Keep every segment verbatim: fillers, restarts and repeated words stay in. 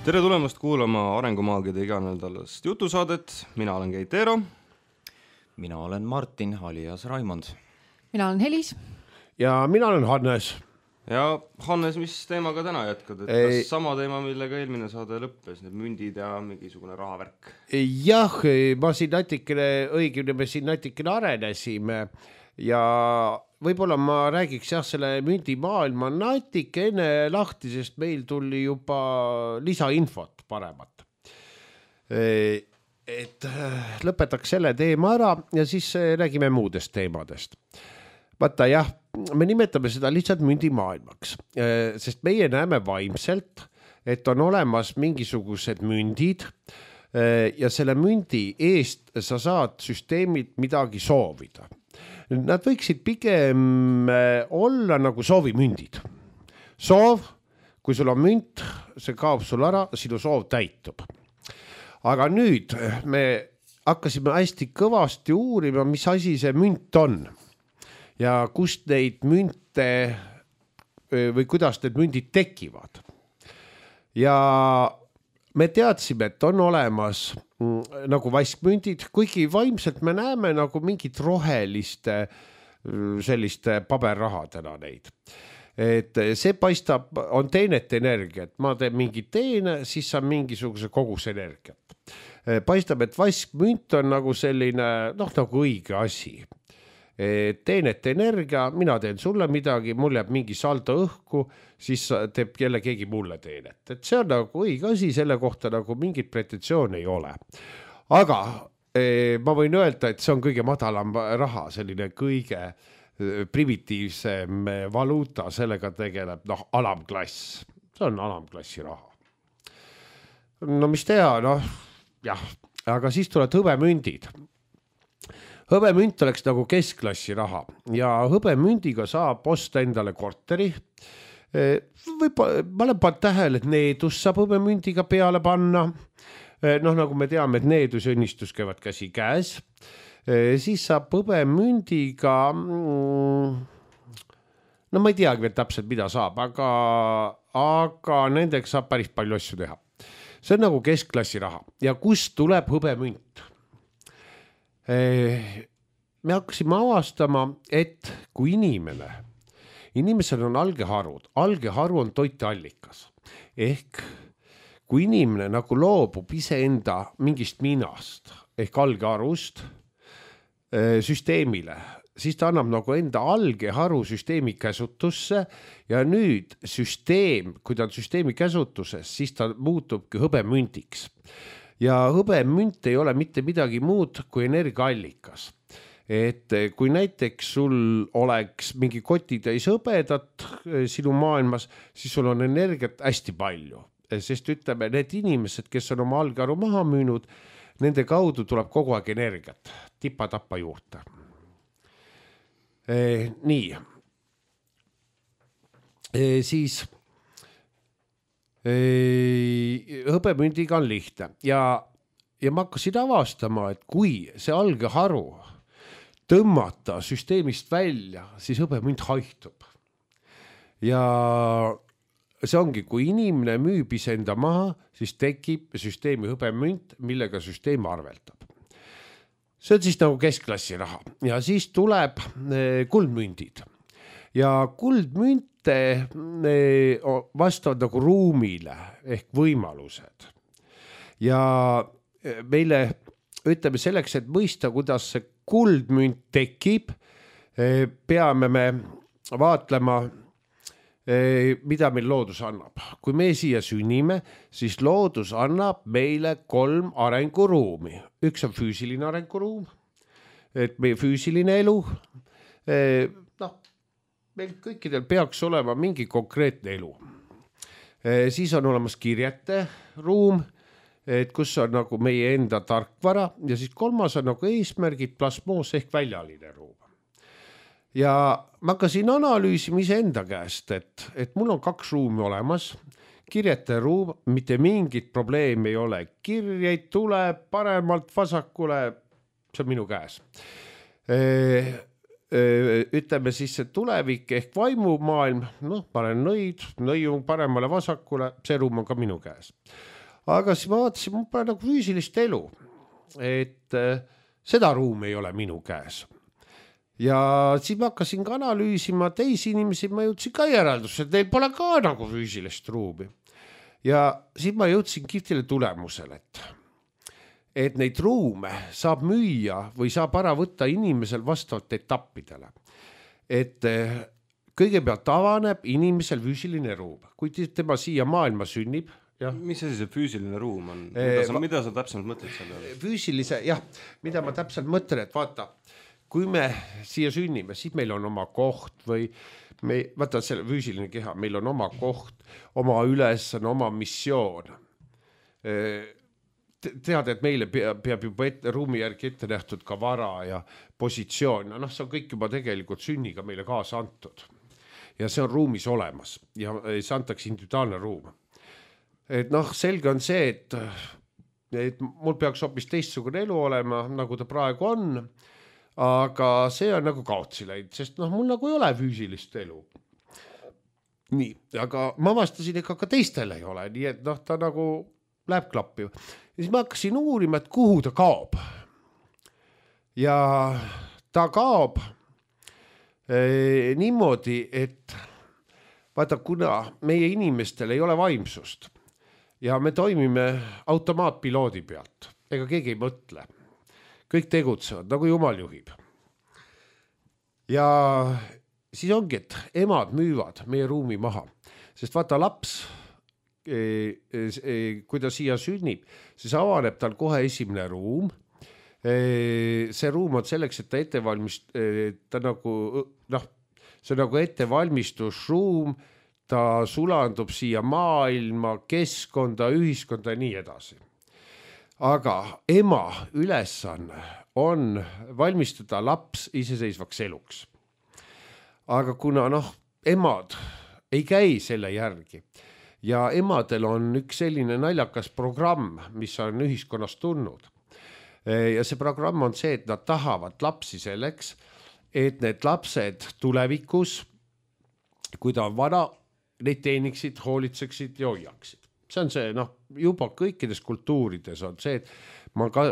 Tere tulemast kuulama Arengumaagide iganädalast jutusaadet. Mina olen Keit Eero. Mina olen Martin, alias Raimond. Mina olen Helis. Ja mina olen Hannes. Ja Hannes, mis teemaga täna jätkad? Et Ei... kas sama teema, millega eelmine saade lõppes, need mündid ja mingisugune rahavärk? Jah, ma siin natikene, õigimne me siin natikene arenesime ja võib-olla ma räägiks jah selle mündimaailma natikene lahti, sest meil tuli juba lisainfot paremat. Et lõpetaks selle teema ära ja siis räägime muudest teemadest. Vaata jah, me nimetame seda lihtsalt mündimaailmaks, sest meie näeme vaimselt, et on olemas mingisugused mündid ja selle mündi eest sa saad süsteemilt midagi soovida. Nad võiksid pigem olla nagu soovimündid. Soov, kui sul on münt, see kaob sul ära, sinu soov täitub. Aga nüüd me hakkasime hästi kõvasti uurima, mis asi see münt on ja kust neid münte või kuidas need mündid tekivad. Ja me teadsime, et on olemas nagu vaskmündid, kuigi vaimselt me näeme nagu mingit roheliste selliste paberrahadena neid. Et see paistab, on teenet energiat. Ma teen mingi teene, siis saan mingisuguse kogus energiat. Paistab, et vaskmünt on nagu selline, noh nagu õige asi. Teenet energia, mina teen sulle midagi, mul jääb mingi saldo õhku, siis teeb jälle keegi mulle teenet. Et see on nagu õige asi, selle kohta nagu mingit pretensiooni ei ole. Aga eh, ma võin öelda, et see on kõige madalam raha, selline kõige primitiivsem valuuta, sellega tegeleb noh, alamklass. See on alamklassi raha. No mis teha, noh, jah, aga siis tulevad hõbemündid. Hõbemünt oleks nagu keskklassi raha ja hõbemündiga saab osta endale korteri. Võib, ma olen pannud tähele, et needus saab hõbemündiga peale panna. Noh, nagu me teame, et needus ja õnnistus käivad käsi käes. Siis saab hõbemündiga, no ma ei teagi veel täpselt, mida saab, aga, aga nendeks saab päris palju asju teha. See on nagu keskklassi raha ja kust tuleb hõbemünt? Me hakkasime avastama, et kui inimene, inimesel on algeharud, algeharu on toiteallikas. Ehk kui inimene nagu loobub iseenda mingist minast ehk algeharust süsteemile, siis ta annab nagu enda algeharu süsteemi käsutusse ja nüüd süsteem, kui ta on süsteemi käsutuses, siis ta muutubki hõbemündiks. Ja hõbemünt ei ole mitte midagi muud kui energiaallikas. Et kui näiteks sul oleks mingi kotitäis hõbedat sinu maailmas, siis sul on energiat hästi palju. Sest ütleme, need inimesed, kes on oma algeharu maha müünud, nende kaudu tuleb kogu aeg energiat, tipa-tappa juurde. E, nii. E, siis... hõbemündiga on lihtne ja, ja ma hakkasin avastama, et kui see algeharu tõmmata süsteemist välja, siis hõbemünt haihtub. Ja see ongi, kui inimene müüb iseenda maha, siis tekib süsteemi hõbemünt, millega süsteem arveldab. See on siis nagu keskklassi raha ja siis tuleb kuldmündid ja kuldmünt vastavad nagu ruumile ehk võimalused. Ja meile ütleme selleks, et mõista, kuidas see kuldmünt tekib, peame me vaatlema, mida meil loodus annab. Kui me siia sünnime, siis loodus annab meile kolm arenguruumi. Üks on füüsiline arenguruum, et meie füüsiline elu, noh, meil kõikidel peaks olema mingi konkreetne elu. E, siis on olemas kirjete ruum, et kus on nagu meie enda tarkvara ja siis kolmas on nagu eesmärgid plasmoos ehk väljaline ruum. Ja ma hakkasin analüüsima iseenda käest, et, et mul on kaks ruumi olemas. Kirjete ruum, mitte mingit probleemi ei ole. Kirjeid tuleb paremalt vasakule, see on minu käes. E, ütleme siis see tulevik ehk vaimumaailm, noh, ma olen nõid, nõiu paremale vasakule, see ruum on ka minu käes. Aga siis ma vaatasin, mul pole nagu füüsilist elu, et seda ruumi ei ole minu käes. Ja siis ma hakkasin ka analüüsima teisi inimesi, ma jõudsin ka järeldus, et neil pole ka nagu füüsilist ruumi. Ja siis ma jõudsin kihvtile tulemusele, et et neid ruume saab müüa või saab ära võtta inimesel vastavalt etappidele. Et kõigepealt avaneb inimesel füüsiline ruum, kui tema siia maailma sünnib. Ja. Mis see see füüsiline ruum on? Mida sa, mida sa täpselt mõtled selle? Füüsilise, jah, mida ma täpselt mõtlen, et vaata, kui me siia sünnime, siis meil on oma koht või me, vaata selle füüsiline keha, meil on oma koht, oma ülesanne, oma missioon. Tead, et meile peab, peab juba ette, ruumi järgi ette nähtud ka vara ja positsioon. No, see on kõik juba tegelikult sünniga meile kaasa antud. Ja see on ruumis olemas ja see antakse individuaalne ruum. Et noh, selge on see, et, et mul peaks hoopis teistsugune elu olema, nagu ta praegu on, aga see on nagu kaotsi läinud, sest noh, mul nagu ei ole füüsilist elu. Nii, aga ma vastasin, ega ka teistel ei ole, nii et noh, ta nagu läheb klappi. Ja siis ma hakkasin uurima, et kuhu ta kaob. Ja ta kaob eh, niimoodi, et vaata, kuna meie inimestel ei ole vaimsust ja me toimime automaatpiloodi pealt, ega keegi ei mõtle. Kõik tegutsevad, nagu jumal juhib. Ja siis ongi, et emad müüvad meie ruumi maha, sest vaata laps, kui ta siia sünnib, siis avaneb tal kohe esimene ruum. See ruum on selleks, et ta ettevalmist, ta nagu, noh, see on nagu ettevalmistusruum, ta sulandub siia maailma, keskkonda, ühiskonda ja nii edasi. Aga ema ülesanne on valmistada laps iseseisvaks eluks. Aga kuna noh, emad ei käi selle järgi, ja emadel on üks selline naljakas programm, mis on ühiskonnas tulnud. Ja see programm on see, et nad tahavad lapsi selleks, et need lapsed tulevikus, kui ta on vana, neid teeniksid, hoolitseksid ja hoiaksid. See on see, noh, juba kõikides kultuurides on see, et ma ka,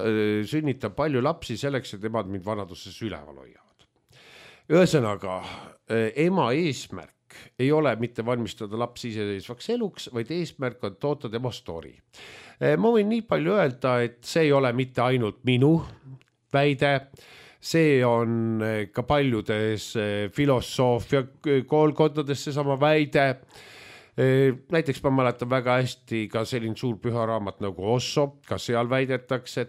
sünnitan palju lapsi selleks, et emad mind vanaduses üleval hoiavad. Ühesõnaga, ema eesmärk ei ole mitte valmistada laps iseseisvaks eluks, vaid eesmärk on toota tema story. Ma võin nii palju öelda, et see ei ole mitte ainult minu väide, see on ka paljudes filosoofia koolkondades seesama väide. Näiteks ma mäletan väga hästi ka selline suur püha raamat nagu Osso, ka seal väidetakse,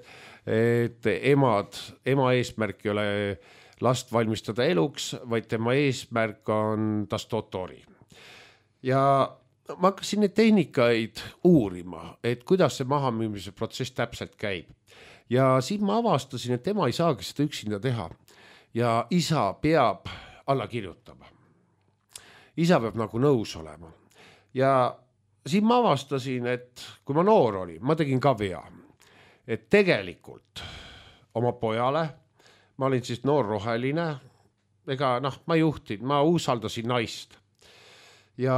et emad, ema eesmärk ei ole last valmistada eluks, vaid tema eesmärk on tastotori. Ja ma hakkasin neid tehnikaid uurima, et kuidas see mahamüümise protsess täpselt käib. Ja siis ma avastasin, et tema ei saagi seda üksinda teha. Ja isa peab alla kirjutama. Isa peab nagu nõus olema. Ja siis ma avastasin, et kui ma noor olin, ma tegin ka vea. Et tegelikult oma pojale, ma olin siis noor roheline, ega noh, ma juhtin, ma usaldasin naist. Ja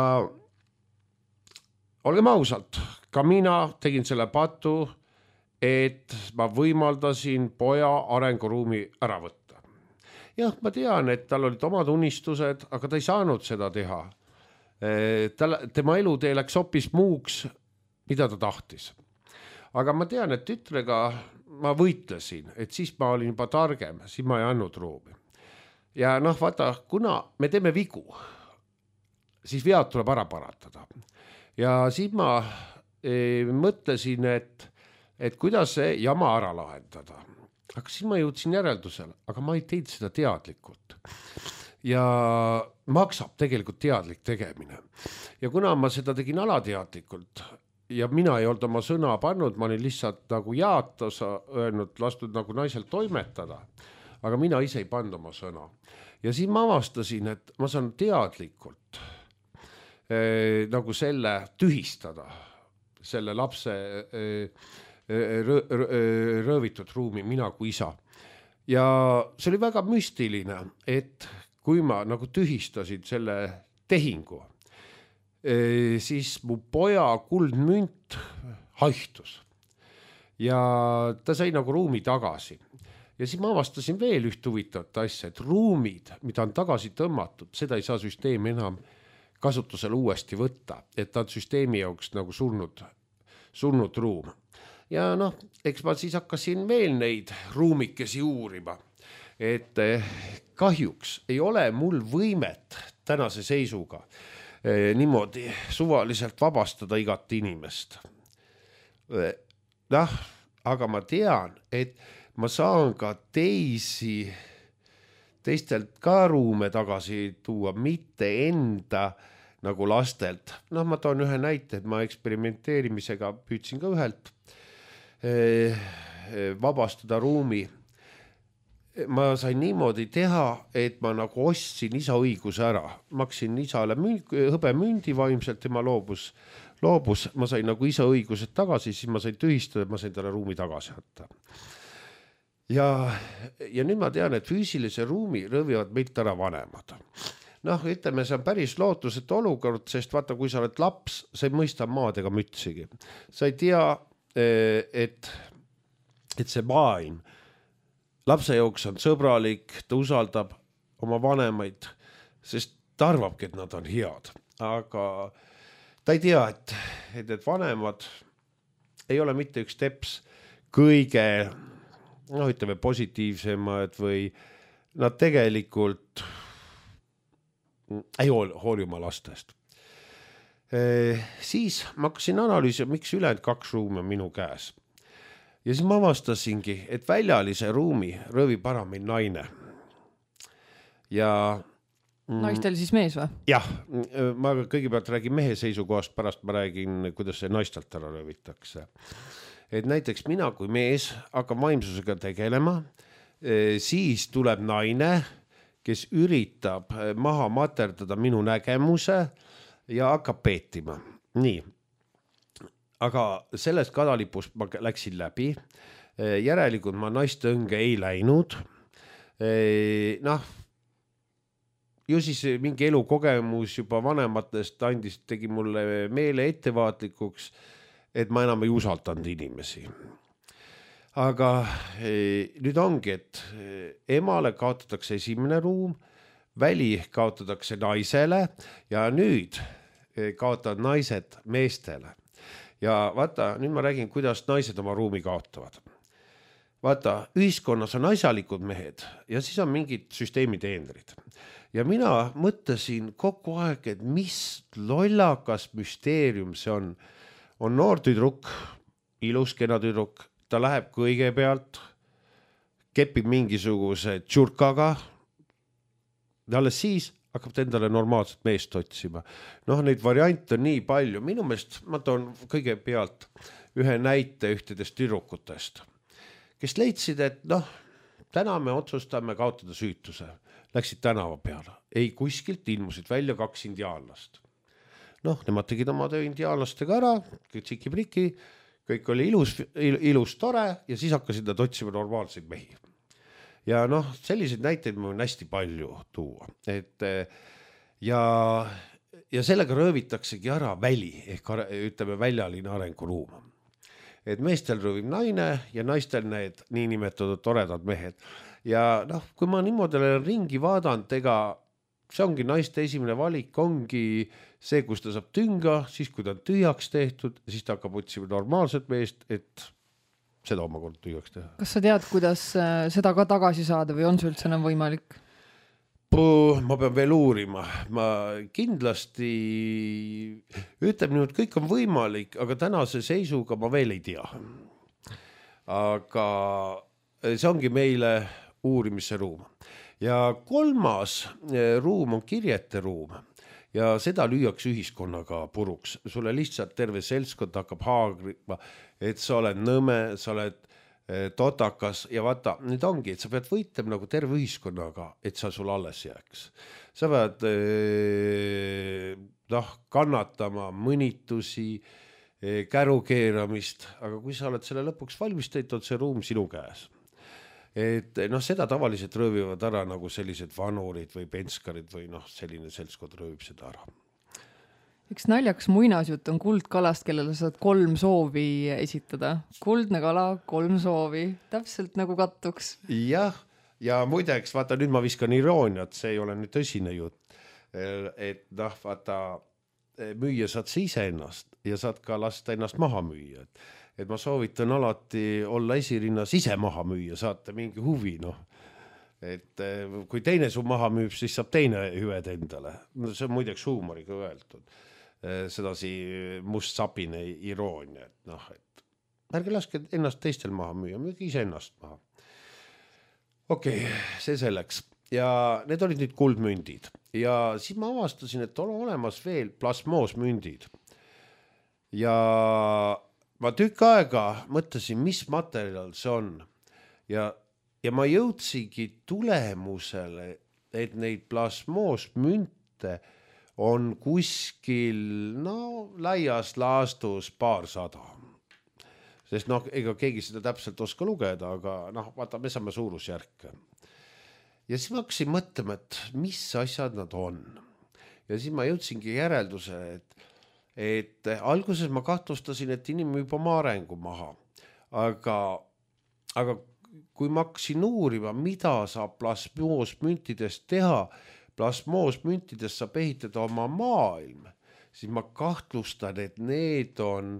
olgem ausalt, ka mina tegin selle patu, et ma võimaldasin poja arenguruumi ära võtta. Jah, ma tean, et tal olid omad unistused, aga ta ei saanud seda teha. Tema elutee läks hoopis muuks, mida ta tahtis. Aga ma tean, et tütrega ma võitlesin, et siis ma olin juba targem, siis ma ei andnud ruumi. Ja noh, vaata, kuna me teeme vigu, siis vead tuleb ära paratada. Ja siis ma e, mõtlesin, et, et kuidas see jama ära lahendada. Aga siis ma jõudsin järeldusele, aga ma ei teinud seda teadlikult. Ja maksab tegelikult teadlik tegemine. Ja kuna ma seda tegin alateadlikult, ja mina ei olnud oma sõna pannud, ma olin lihtsalt nagu jaatosa öelnud, lastud nagu naisel toimetada, aga mina ise ei pannud oma sõna. Ja siis ma avastasin, et ma saan teadlikult eh, nagu selle tühistada, selle lapse eh, rõ, rõ, rõövitud ruumi, mina kui isa. ja see oli väga müstiline, et kui ma nagu tühistasin selle tehingu, siis mu poja kuldmünt haihtus ja ta sai nagu ruumi tagasi. Ja siis ma avastasin veel üht huvitavat asja, et ruumid, mida on tagasi tõmmatud, seda ei saa süsteem enam kasutusele uuesti võtta, et ta on süsteemi jaoks nagu surnud, surnud ruum. Ja noh, eks ma siis hakkasin veel neid ruumikesi uurima, et kahjuks ei ole mul võimet tänase seisuga niimoodi suvaliselt vabastada igat inimest. Noh, aga ma tean, et ma saan ka teisi, teistelt ka ruume tagasi tuua, mitte enda nagu lastelt. Noh, ma toon ühe näite, et ma eksperimenteerimisega püüdsin ka ühelt vabastada ruumi. Ma sain niimoodi teha, et ma nagu ostsin isa õiguse ära. Maksin isale hõbemündi vaimselt, tema loobus, loobus. Ma sain nagu isa õigused tagasi, siis ma sain tühistada, ma sain talle ruumi tagasi võtta. Ja, ja nüüd ma tean, et füüsilise ruumi rõvivad meilt ära vanemad. Noh, ütleme, see on päris lootusetu olukord, sest vaata, kui sa oled laps, sa ei mõista maad ega mütsigi. Sa ei tea, et, et see maailm lapse jooks on sõbralik, ta usaldab oma vanemaid, sest ta arvabki, et nad on head. Aga ta ei tea, et, et, et vanemad ei ole mitte üks teps kõige, noh, ütleme, positiivsemad või nad tegelikult ei hooli oma lastest. E, siis ma hakkasin analüüsima, miks ülejäänud kaks ruumi on minu käes. Ja siis ma avastasingi, et väljalise ruumi rõvib ära meil naine. Ja naistel siis mees või? Jah, ma kõigepealt räägin mehe seisukohast, pärast ma räägin, kuidas see naistelt ära rõvitakse. Et näiteks mina kui mees hakkab vaimsusega tegelema, siis tuleb naine, kes üritab maha materdada minu nägemuse ja hakkab peetima. Nii. Aga sellest kadalipust ma läksin läbi. Järelikult ma naiste õnge ei läinud. Noh, ju siis mingi elukogemus juba vanematest andis, tegi mulle meele ettevaatlikuks, et ma enam ei usaldanud inimesi. Aga nüüd ongi, et emale kaotatakse esimene ruum, väli kaotatakse naisele ja nüüd kaotavad naised meestele. Ja vaata, nüüd ma räägin, kuidas naised oma ruumi kaotavad. Vaata, ühiskonnas on asjalikud mehed ja siis on mingid süsteemi teenrid. Ja mina mõtlesin kogu aeg, et mis lollakas müsteerium see on. On noor tüdruk, ilus kena tüdruk, ta läheb kõigepealt, kepib mingisuguse tšurkaga, ja alles siis hakkab ta endale normaalset meest otsima. Noh, neid variante on nii palju. Minu meelest ma toon kõigepealt ühe näite ühtedest tüdrukutest, kes leidsid, et noh, täna me otsustame kaotada süütuse. Läksid tänava peale. Ei kuskilt ilmusid välja kaks indiaanlast. Noh, nemad tegid oma töö indiaanlastega ära, tsiki-priki, kõik oli ilus, ilus tore ja siis hakkasid nad otsima normaalseid mehi. Ja noh, selliseid näiteid ma võin hästi palju tuua. Et, ja, ja sellega röövitaksegi ära väli, ehk ütleme väljaline arenguruum. Et meestel rõvib naine ja naistel need niinimetatud toredad mehed. Ja noh, kui ma niimoodi olen ringi vaadanud, ega see ongi naiste esimene valik, ongi see, kus ta saab tünga, siis kui ta on tühjaks tehtud, siis ta hakkab otsima normaalset meest, et seda omakord tühjaks teha. Kas sa tead, kuidas seda ka tagasi saada või on see üldse enam võimalik? Puh, ma pean veel uurima. Ma kindlasti ütleb nüüd, kõik on võimalik, aga tänase seisuga ma veel ei tea. Aga see ongi meile uurimise ruum. Ja kolmas ruum on kirjete ruum ja seda lüüaks ühiskonnaga puruks. Sulle lihtsalt terve seltskond hakkab haagrima, et sa oled nõme, sa oled totakas ja vaata, nüüd ongi, et sa pead võitlema nagu terve ühiskonnaga, et sa sul alles jääks. Sa pead noh, kannatama mõnitusi, kärukeeramist, aga kui sa oled selle lõpuks valmis teinud, on see ruum sinu käes. et noh, seda tavaliselt röövivad ära nagu sellised vanurid või penskarid või noh, selline seltskond röövib seda ära. Üks naljakas muinasjutt on kuldkalast, kellele saad kolm soovi esitada. Kuldne kala, kolm soovi, täpselt nagu kattuks. Jah, ja muideks, vaata nüüd ma viskan irooniat, see ei ole nüüd tõsine jutt. Et noh, vaata, müüa saad sa ise ennast ja saad ka lasta ennast maha müüa. Et ma soovitan alati olla esirinnas ise maha müüa, saate mingi huvi, noh. Et kui teine su maha müüb, siis saab teine hüved endale. See on muideks huumoriga öeldud. Sedasi must sapine iroonia, et noh, et ärge laske ennast teistel maha müüa, müüge ise ennast maha. Okei, okay, see selleks. Ja need olid nüüd kuldmündid. Ja siis ma avastasin, et on olemas veel plasmoosmündid. Ja ma tükk aega mõtlesin, mis materjal see on. Ja, ja ma jõudsigi tulemusele, et neid plasmoosmünte on kuskil, no, laias laastus paarsada. Sest noh, ega keegi seda täpselt oska lugeda, aga noh, vaata, me saame suurusjärke. Ja siis ma hakkasin mõtlema, et mis asjad nad on. Ja siis ma jõudsingi järelduse, et, et alguses ma kahtlustasin, et inimene juba oma arengu maha. Aga, aga kui ma hakkasin uurima, mida saab plasmoosmüntidest teha, plasmoosmüntidest saab ehitada oma maailm, siis ma kahtlustan, et need on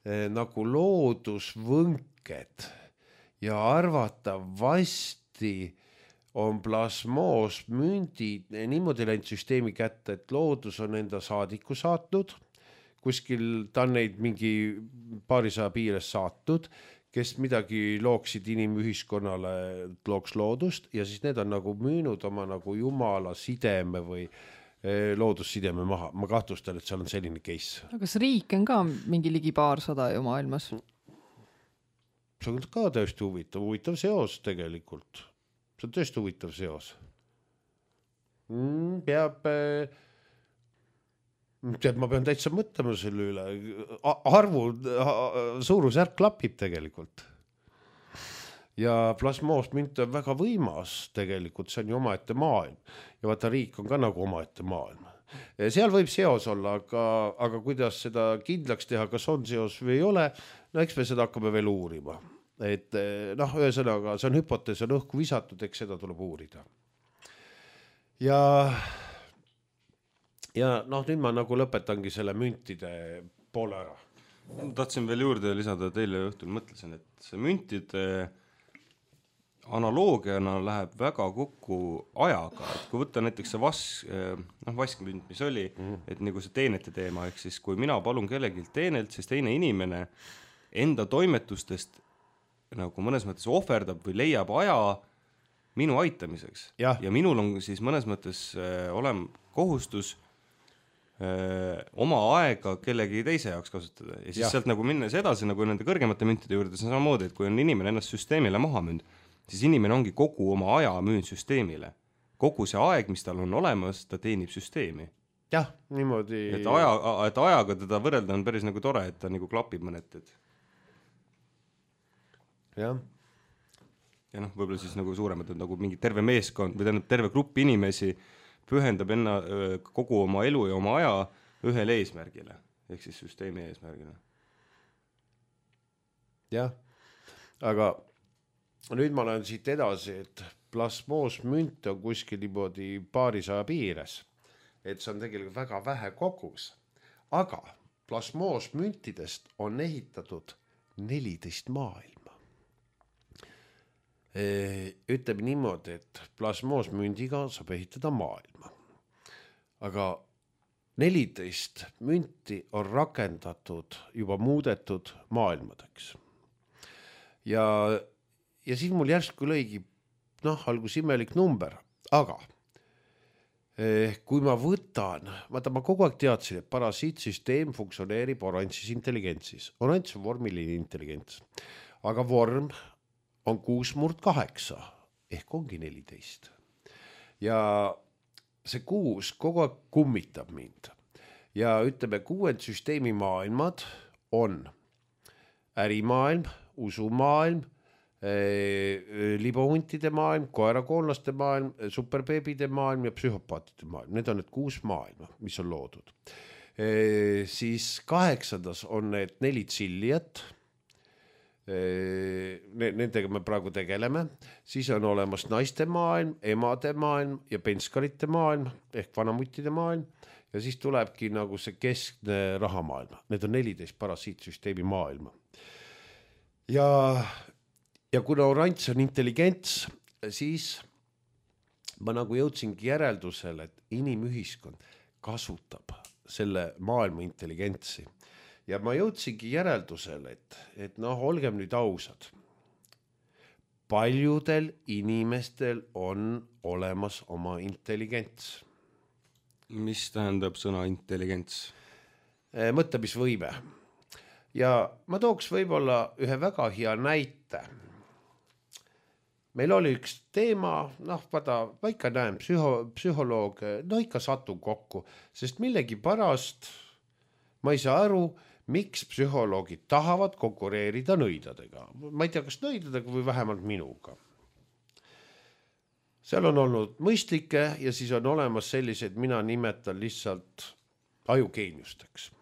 eh, nagu loodusvõnked ja arvatavasti on plasmoosmündid niimoodi läinud süsteemi kätte, et loodus on enda saadiku saatnud, kuskil ta on neid mingi paarisaja piires saatnud, kes midagi looksid inimühiskonnale, looks loodust ja siis need on nagu müünud oma nagu jumala sideme või loodussideme maha. Ma kahtlustan, et seal on selline case. Aga kas riik on ka mingi ligi paarsada ju maailmas? See on ka tõesti huvitav, huvitav seos tegelikult. See on tõesti huvitav seos. Mm, peab... Tead, ma pean täitsa mõtlema selle üle. Arvu suurusjärk klapib tegelikult. Ja plasmoosmünt on väga võimas tegelikult, see on ju omaette maailm. Ja vaata, riik on ka nagu omaette maailm. Seal võib seos olla, aga, aga kuidas seda kindlaks teha, kas on seos või ei ole, no eks me seda hakkame veel uurima. Et noh, ühesõnaga, see on hüpotees, on õhku visatud, eks seda tuleb uurida. Ja... Ja noh, nüüd ma nagu lõpetangi selle müntide poole ära. Tahtsin veel juurde lisada, et eile õhtul mõtlesin, et see müntide analoogiana läheb väga kokku ajaga. Et kui võtta näiteks see vask, noh, vaskmünt, mis oli, mm. et nagu see teenete teema, ehk siis kui mina palun kellegilt teenelt, siis teine inimene enda toimetustest nagu mõnes mõttes ohverdab või leiab aja minu aitamiseks. Ja, ja minul on siis mõnes mõttes äh, olem kohustus Öö, oma aega kellegi teise jaoks kasutada ja siis ja. Sealt nagu minnes edasi nagu nende kõrgemate müntide juurde, see on samamoodi, et kui on inimene ennast süsteemile maha müünud, siis inimene ongi kogu oma aja müünud süsteemile. Kogu see aeg, mis tal on olemas, ta teenib süsteemi. Jah, niimoodi. Et, aja, et ajaga teda võrrelda on päris nagu tore, et ta nagu klapib mõnet. Et... Jah. Ja noh, võib-olla siis nagu suuremad on nagu mingi terve meeskond või tähendab terve grupp inimesi pühendab enna kogu oma elu ja oma aja ühele eesmärgile, ehk siis süsteemi eesmärgile. Jah, aga nüüd ma olen siit edasi, et plasmoosmünt on kuskil niimoodi paarisaja piires, et see on tegelikult väga vähe kogus, aga plasmoosmüntidest on ehitatud neliteist maailma. Ütleme niimoodi, et plasmoosmündiga saab ehitada maailma. Aga neliteist münti on rakendatud, juba muudetud maailmadeks. Ja, ja siis mul järsku lõigi, noh, algus imelik number, aga eh, kui ma võtan, vaata ma kogu aeg teadsin, et parasiitsüsteem funktsioneerib oranžis intelligentsis. Oranž on vormiline intelligents, aga vorm on kuus murd kaheksa, ehk ongi neliteist. Ja see kuus kogu aeg kummitab mind. Ja ütleme, kuuend süsteemi maailmad on ärimaailm, usumaailm, libohuntide maailm, koerakoonlaste maailm, superbeebide maailm ja psühhopaatide maailm. Need on need kuus maailma, mis on loodud. E, siis kaheksandas on need neli tsillijat. Nendega me praegu tegeleme, siis on olemas naiste maailm, emade maailm ja penskarite maailm ehk vanamuttide maailm ja siis tulebki nagu see keskne rahamaailm. Need on neliteist parasiitsüsteemi maailma. Ja, ja kuna oranž on intelligents, siis ma nagu jõudsingi järeldusele, et inimühiskond kasutab selle maailma intelligentsi. Ja ma jõudsingi järeldusele, et, et noh, olgem nüüd ausad. Paljudel inimestel on olemas oma intelligents. Mis tähendab sõna intelligents? Mõtlemisvõime. Ja ma tooks võib-olla ühe väga hea näite. Meil oli üks teema, noh, vaata, ma ikka näen psühho, psühholoog, no ikka satun kokku, sest millegi pärast ma ei saa aru, miks psühholoogid tahavad konkureerida nõidadega. Ma ei tea, kas nõidadega või vähemalt minuga. Seal on olnud mõistlikke ja siis on olemas sellised, mina nimetan lihtsalt ajugeeniusteks.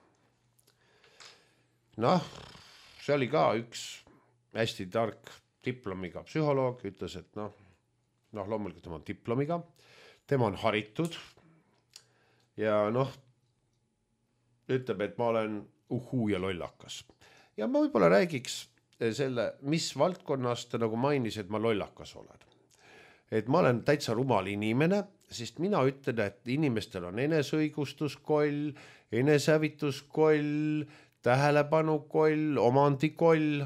Noh, see oli ka üks hästi tark diplomiga psühholoog, ütles, et noh, noh loomulikult tema on diplomiga, tema on haritud ja noh, ütleb, et ma olen uhuu ja lollakas. Ja ma võib-olla räägiks selle, mis valdkonnast nagu mainis, et ma lollakas olen. Et ma olen täitsa rumal inimene, sest mina ütlen, et inimestel on enesõigustuskoll, enesehävituskoll, tähelepanukoll, omandikoll.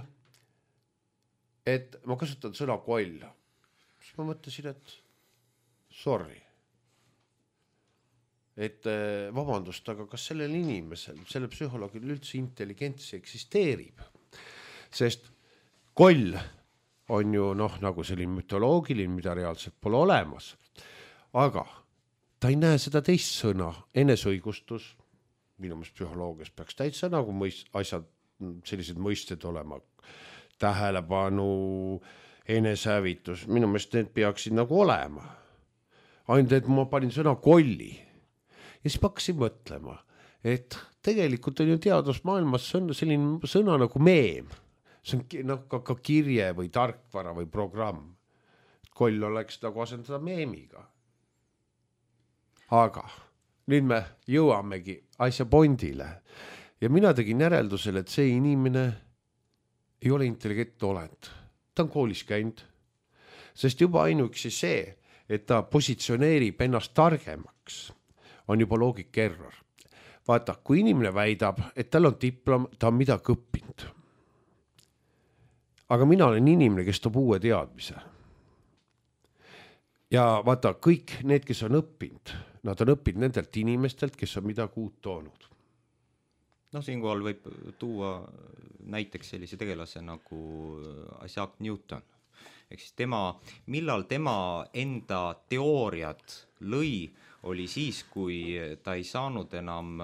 Et ma kasutan sõna koll. Siis ma mõtlesin, et sorry. Et vabandust, aga kas sellel inimesel, selle psühholoogil üldse intelligentsi eksisteerib? Sest koll on ju noh, nagu selline mütoloogiline, mida reaalselt pole olemas. Aga ta ei näe seda teist sõna, enesõigustus. Minu meelest psühholoogias peaks täitsa nagu mõist, asjad, sellised mõisted olema. Tähelepanu, enesehävitus, minu meelest need peaksid nagu olema. Ainult, et ma panin sõna kolli. Ja siis hakkasin mõtlema, et tegelikult on ju teadusmaailmas selline sõna nagu meem. See on noh, ka, ka kirje või tarkvara või programm. Koll oleks nagu asendada meemiga. Aga nüüd me jõuamegi asja pondile. Ja mina tegin järeldusele, et see inimene ei ole intelligentne olend. Ta on koolis käinud. Sest juba ainuüksi see, et ta positsioneerib ennast targemaks, on juba loogika error. Vaata, kui inimene väidab, et tal on diplom, ta on midagi õppinud. Aga mina olen inimene, kes toob uue teadmise. Ja vaata, kõik need, kes on õppinud, nad on õppinud nendelt inimestelt, kes on midagi uut toonud. No siinkohal võib tuua näiteks sellise tegelase nagu Isaac Newton. Ehk siis tema, millal tema enda teooriad lõi, oli siis, kui ta ei saanud enam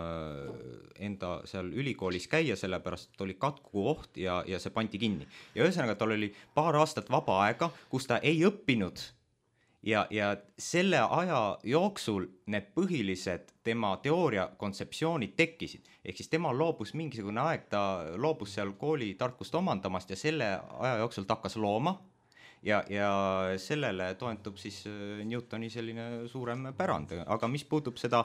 enda seal ülikoolis käia, sellepärast oli katku oht ja, ja see pandi kinni. Ja ühesõnaga tal oli paar aastat vaba aega, kus ta ei õppinud ja, ja selle aja jooksul need põhilised tema teooria kontseptsioonid tekkisid. Ehk siis tema loobus mingisugune aeg, ta loobus seal kooli tarkust omandamast ja selle aja jooksul ta hakkas looma. Ja, ja sellele toentub siis Newtoni selline suurem pärand. Aga mis puutub seda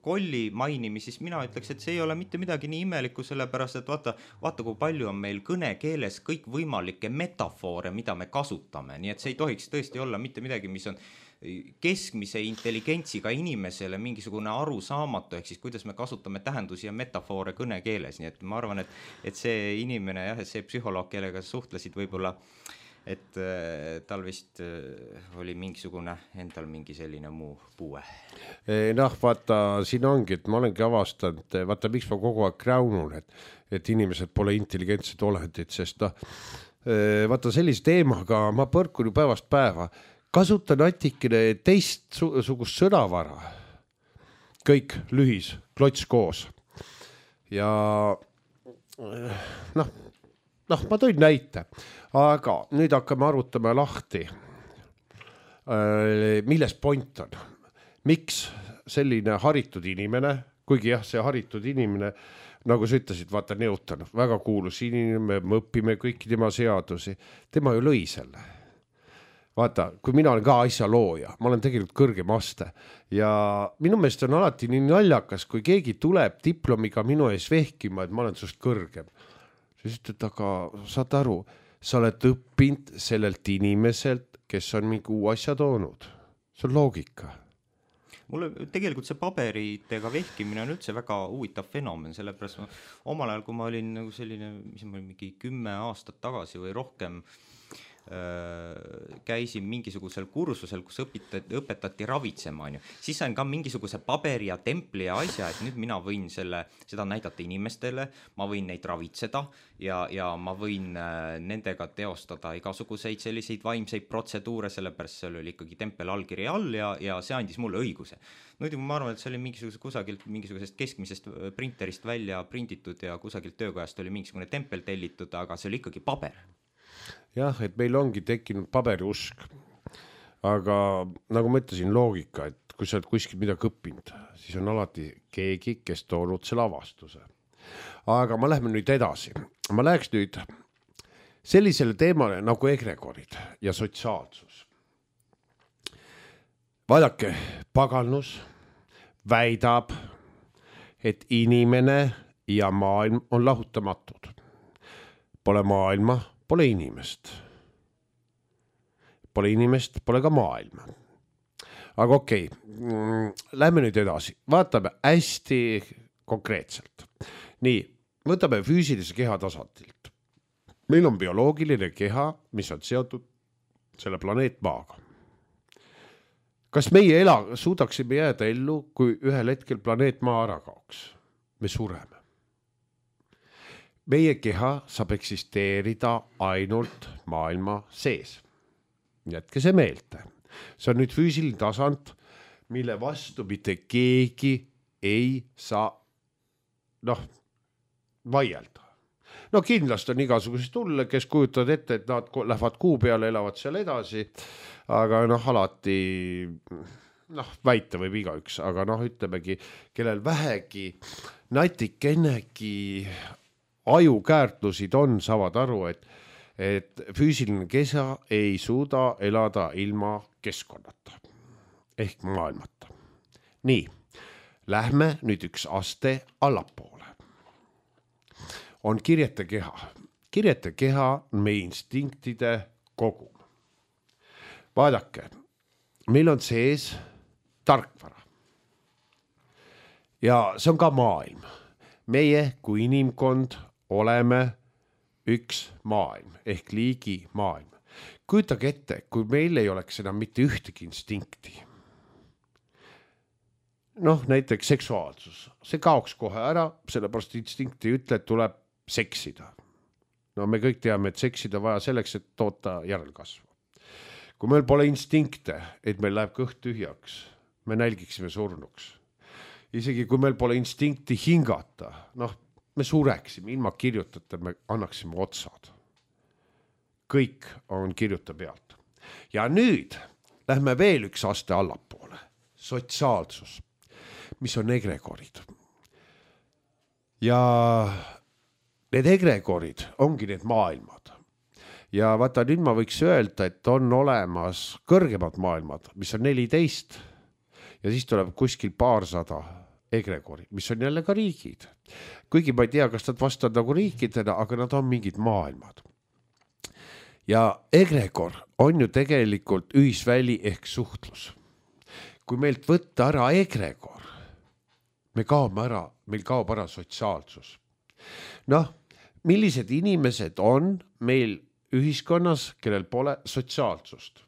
kolli mainimi, siis mina ütleks, et see ei ole mitte midagi nii imelikku, sellepärast, et vaata, vaata kui palju on meil kõnekeeles kõik võimalikke metafoore, mida me kasutame. Nii et see ei tohiks tõesti olla mitte midagi, mis on keskmise intelligentsiga inimesele mingisugune arusaamatu, ehk siis kuidas me kasutame tähendusi ja metafoore kõnekeeles. Nii et ma arvan, et, et see inimene, jah, see psühholoog, kellega suhtlesid võib-olla et tal vist oli mingisugune endal mingi selline muu puue. Noh, vaata, siin ongi, et ma olengi avastanud, vaata, miks ma kogu aeg kräunun, et, et inimesed pole intelligentsed olendid, sest noh, vaata, sellise teemaga ma põrkun ju päevast päeva, kasutan natikene teistsugust sõnavara, kõik lühis, klots koos ja noh, noh, ma tõin näite, aga nüüd hakkame arutama lahti, milles point on. Miks selline haritud inimene, kuigi jah, see haritud inimene, nagu sa ütlesid, vaata Newton, väga kuulus inimene, me õpime kõiki tema seadusi, tema ju lõi selle. Vaata, kui mina olen ka asja looja, ma olen tegelikult kõrgem aste ja minu meelest on alati nii naljakas, kui keegi tuleb diplomiga minu ees vehkima, et ma olen sust kõrgem. Siis ütled, aga saad aru, sa oled õppinud sellelt inimeselt, kes on mingi uu asja toonud. See on loogika. Mulle tegelikult see paberitega vehkimine on üldse väga huvitav fenomen, sellepärast ma omal ajal, kui ma olin nagu selline, mis ma olin mingi kümme aastat tagasi või rohkem, käisin mingisugusel kursusel, kus õpetati, õpetati ravitsema, on ju. Siis sain ka mingisuguse paberi ja templi ja asja, et nüüd mina võin selle, seda näidata inimestele, ma võin neid ravitseda ja, ja ma võin nendega teostada igasuguseid selliseid vaimseid protseduure, sellepärast seal oli ikkagi tempel allkiri all ja, ja see andis mulle õiguse. Nüüd ma arvan, et see oli mingisuguse kusagilt mingisugusest keskmisest printerist välja printitud ja kusagilt töökojast oli mingisugune tempel tellitud, aga see oli ikkagi paber. Jah, et meil ongi tekkinud paberiusk, aga nagu ma ütlesin, loogika, et kui sa oled kuskil midagi õppinud, siis on alati keegi, kes toonud selle avastuse. Aga ma lähme nüüd edasi. Ma läheks nüüd sellisele teemale nagu egregorid ja sotsiaalsus. Vaadake, paganus väidab, et inimene ja maailm on lahutamatud. Pole maailma, pole inimest. Pole inimest, pole ka maailma. Aga okei, okay. Lähme nüüd edasi. Vaatame hästi konkreetselt. Nii, võtame füüsilise keha tasandilt. Meil on bioloogiline keha, mis on seotud selle planeet Maaga. Kas meie ela, suudaksime jääda ellu, kui ühel hetkel planeet Maa ära kaoks? Me sureme. Meie keha saab eksisteerida ainult maailma sees. Jätke see meelde. See on nüüd füüsiline tasand, mille vastu mitte keegi ei saa noh, vaielda. No kindlasti on igasugused tulle, kes kujutavad ette, et nad lähevad kuu peale, elavad seal edasi, aga noh, alati noh, väita võib igaüks, aga noh, ütlemegi, kellel vähegi natikennegi ajukäärtlusid on, saavad aru, et, et füüsiline kesa ei suuda elada ilma keskkonnata ehk maailmata. Nii, lähme nüüd üks aste allapoole. On kirjete keha. Kirjete keha on meie instinktide kogum. Vaadake, meil on sees tarkvara. Ja see on ka maailm. Meie kui inimkond oleme üks maailm ehk liigi maailm. Kujutage ette, kui meil ei oleks enam mitte ühtegi instinkti. Noh, näiteks seksuaalsus. See kaoks kohe ära, sellepärast instinkti ütle, et tuleb seksida. No me kõik teame, et seksida vaja selleks, et toota järelkasvu. Kui meil pole instinkte, et meil läheb kõht tühjaks, me nälgiksime surnuks. Isegi kui meil pole instinkti hingata, noh, me sureksime, ilma kirjutada, me annaksime otsad. Kõik on kirjuta pealt. Ja nüüd lähme veel üks aste allapoole. Sotsiaalsus, mis on egregorid. Ja need egregorid ongi need maailmad. Ja vaata, nüüd ma võiks öelda, et on olemas kõrgemad maailmad, mis on neliteist ja siis tuleb kuskil paarsada egregorid, mis on jälle ka riigid. Kuigi ma ei tea, kas nad vastavad nagu riikidena, aga nad on mingid maailmad. Ja egregor on ju tegelikult ühisväli ehk suhtlus. Kui meilt võtta ära egregor, me kaome ära, meil kaob ära sotsiaalsus. Noh, millised inimesed on meil ühiskonnas, kellel pole sotsiaalsust?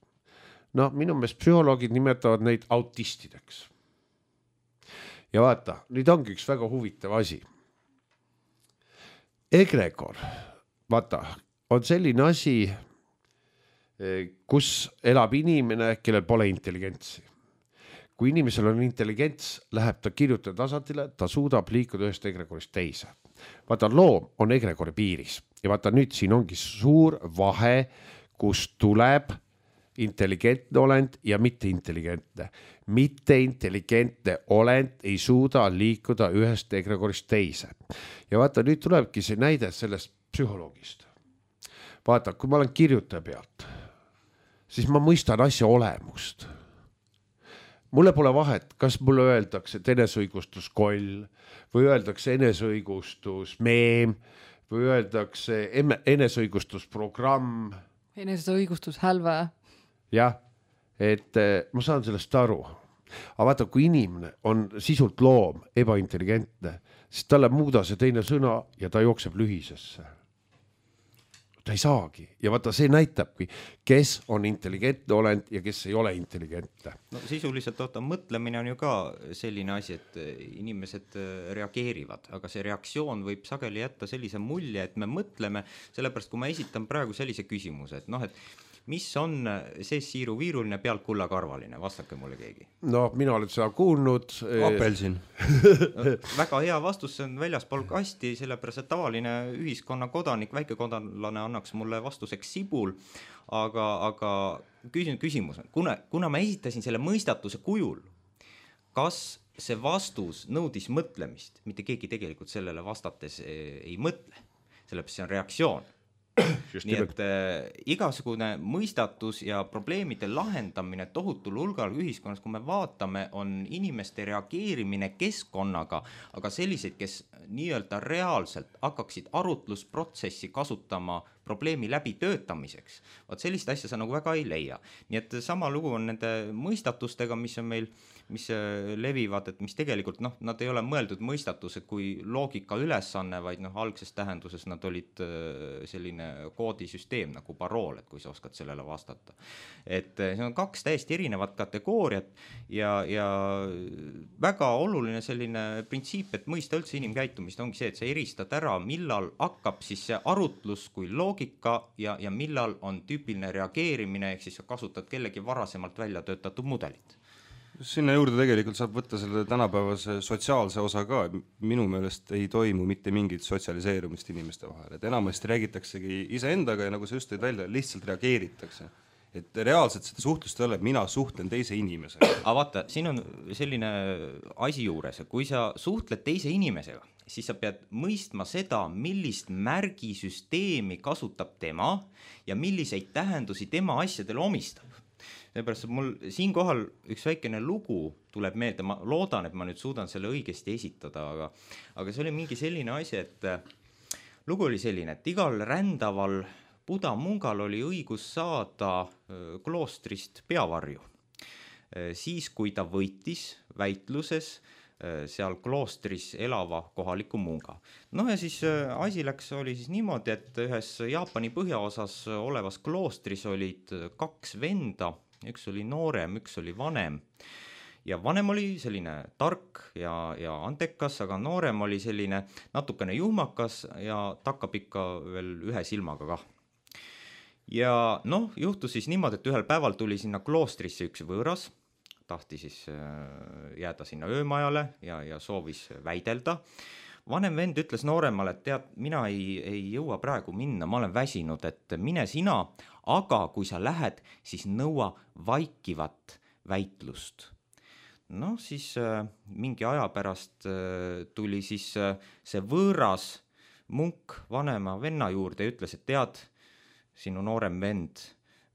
No minu meelest psühholoogid nimetavad neid autistideks. Ja vaata, nüüd ongi üks väga huvitav asi. Egregor, vaata, on selline asi, kus elab inimene, kellel pole intelligentsi. Kui inimesel on intelligents, läheb ta kirjutada tasandile, ta suudab liikuda ühest egregorist teise. Vaata, loom on egregori piiris ja vaata nüüd siin ongi suur vahe, kus tuleb intelligentne olend ja mitte intelligentne. Mitte intelligentne olend ei suuda liikuda ühest egregorist teise. Ja vaata, nüüd tulebki see näide sellest psühholoogist. Vaata, kui ma olen kirjutaja pealt, siis ma mõistan asja olemust. Mulle pole vahet, kas mulle öeldakse eneseõigustus koll või öeldakse eneseõigustus meem või öeldakse eneseõigustus programm. Eneseõigustus hälve. Jah, et ma saan sellest aru. Aga vaata, kui inimene on sisult loom, ebaintelligentne, siis talle muuda see teine sõna ja ta jookseb lühisesse. Ta ei saagi. Ja vaata, see näitabki, kes on intelligentne olend ja kes ei ole intelligentne. No sisuliselt oota, mõtlemine on ju ka selline asi, et inimesed reageerivad, aga see reaktsioon võib sageli jätta sellise mulje, et me mõtleme, sellepärast kui ma esitan praegu sellise küsimuse, et noh, et mis on see siiru-viiruline pealt kullakarvaline, vastake mulle keegi. No, mina olen seda kuulnud. Apelsin. Väga hea vastus, see on väljaspool kasti, sellepärast et tavaline ühiskonna kodanik, väikekodanlane annaks mulle vastuseks sibul, aga, aga küsin, küsimus on, kuna, kuna ma esitasin selle mõistatuse kujul, kas see vastus nõudis mõtlemist, mitte keegi tegelikult sellele vastates ei mõtle, sellepärast see on reaktsioon. Just nii et äh, igasugune mõistatus ja probleemide lahendamine tohutul hulgal ühiskonnas, kui me vaatame, on inimeste reageerimine keskkonnaga, aga selliseid, kes nii-öelda reaalselt hakkaksid arutlusprotsessi kasutama probleemi läbi töötamiseks. Vaat sellist asja sa nagu väga ei leia. Nii et sama lugu on nende mõistatustega, mis on meil mis levivad, et mis tegelikult, noh, nad ei ole mõeldud mõistatused kui loogika ülesanne, vaid noh, algses tähenduses nad olid selline koodisüsteem nagu parool, et kui sa oskad sellele vastata. Et see on kaks täiesti erinevat kategooriat ja, ja väga oluline selline printsiip, et mõista üldse inimkäitumist ongi see, et sa eristad ära, millal hakkab siis see arutlus kui loogika ja, ja millal on tüüpiline reageerimine, ehk siis sa kasutad kellegi varasemalt välja töötatud mudelit. Sinna juurde tegelikult saab võtta selle tänapäevase sotsiaalse osa ka, minu meelest ei toimu mitte mingit sotsialiseerumist inimeste vahel, et enamasti räägitaksegi iseendaga ja nagu sa just tõid välja, lihtsalt reageeritakse. Et reaalselt seda suhtlust ei ole, mina suhtlen teise inimesega. Aga vaata, siin on selline asi juures, kui sa suhtled teise inimesega, siis sa pead mõistma seda, millist märgisüsteemi kasutab tema ja milliseid tähendusi tema asjadele omistab. Seepärast mul siinkohal üks väikene lugu tuleb meelde, ma loodan, et ma nüüd suudan selle õigesti esitada, aga, aga see oli mingi selline asi, et lugu oli selline, et igal rändaval Buda mungal oli õigus saada kloostrist peavarju. Siis, kui ta võitis väitluses seal kloostris elava kohaliku munga. No ja siis asi läks, oli siis niimoodi, et ühes Jaapani põhjaosas olevas kloostris olid kaks venda, üks oli noorem, üks oli vanem ja vanem oli selline tark ja, ja antekas, aga noorem oli selline natukene juhmakas ja takkab ikka veel ühe silmaga kah. Ja noh, juhtus siis niimoodi, et ühel päeval tuli sinna kloostrisse üks võõras, tahti siis jääda sinna öömajale ja, ja soovis väidelda. Vanem vend ütles nooremale, et tead, mina ei, ei jõua praegu minna, ma olen väsinud, et mine sina, aga kui sa lähed, siis nõua vaikivat väitlust. No siis äh, mingi aja pärast äh, tuli siis äh, see võõras munk vanema venna juurde ja ütles, et tead, sinu noorem vend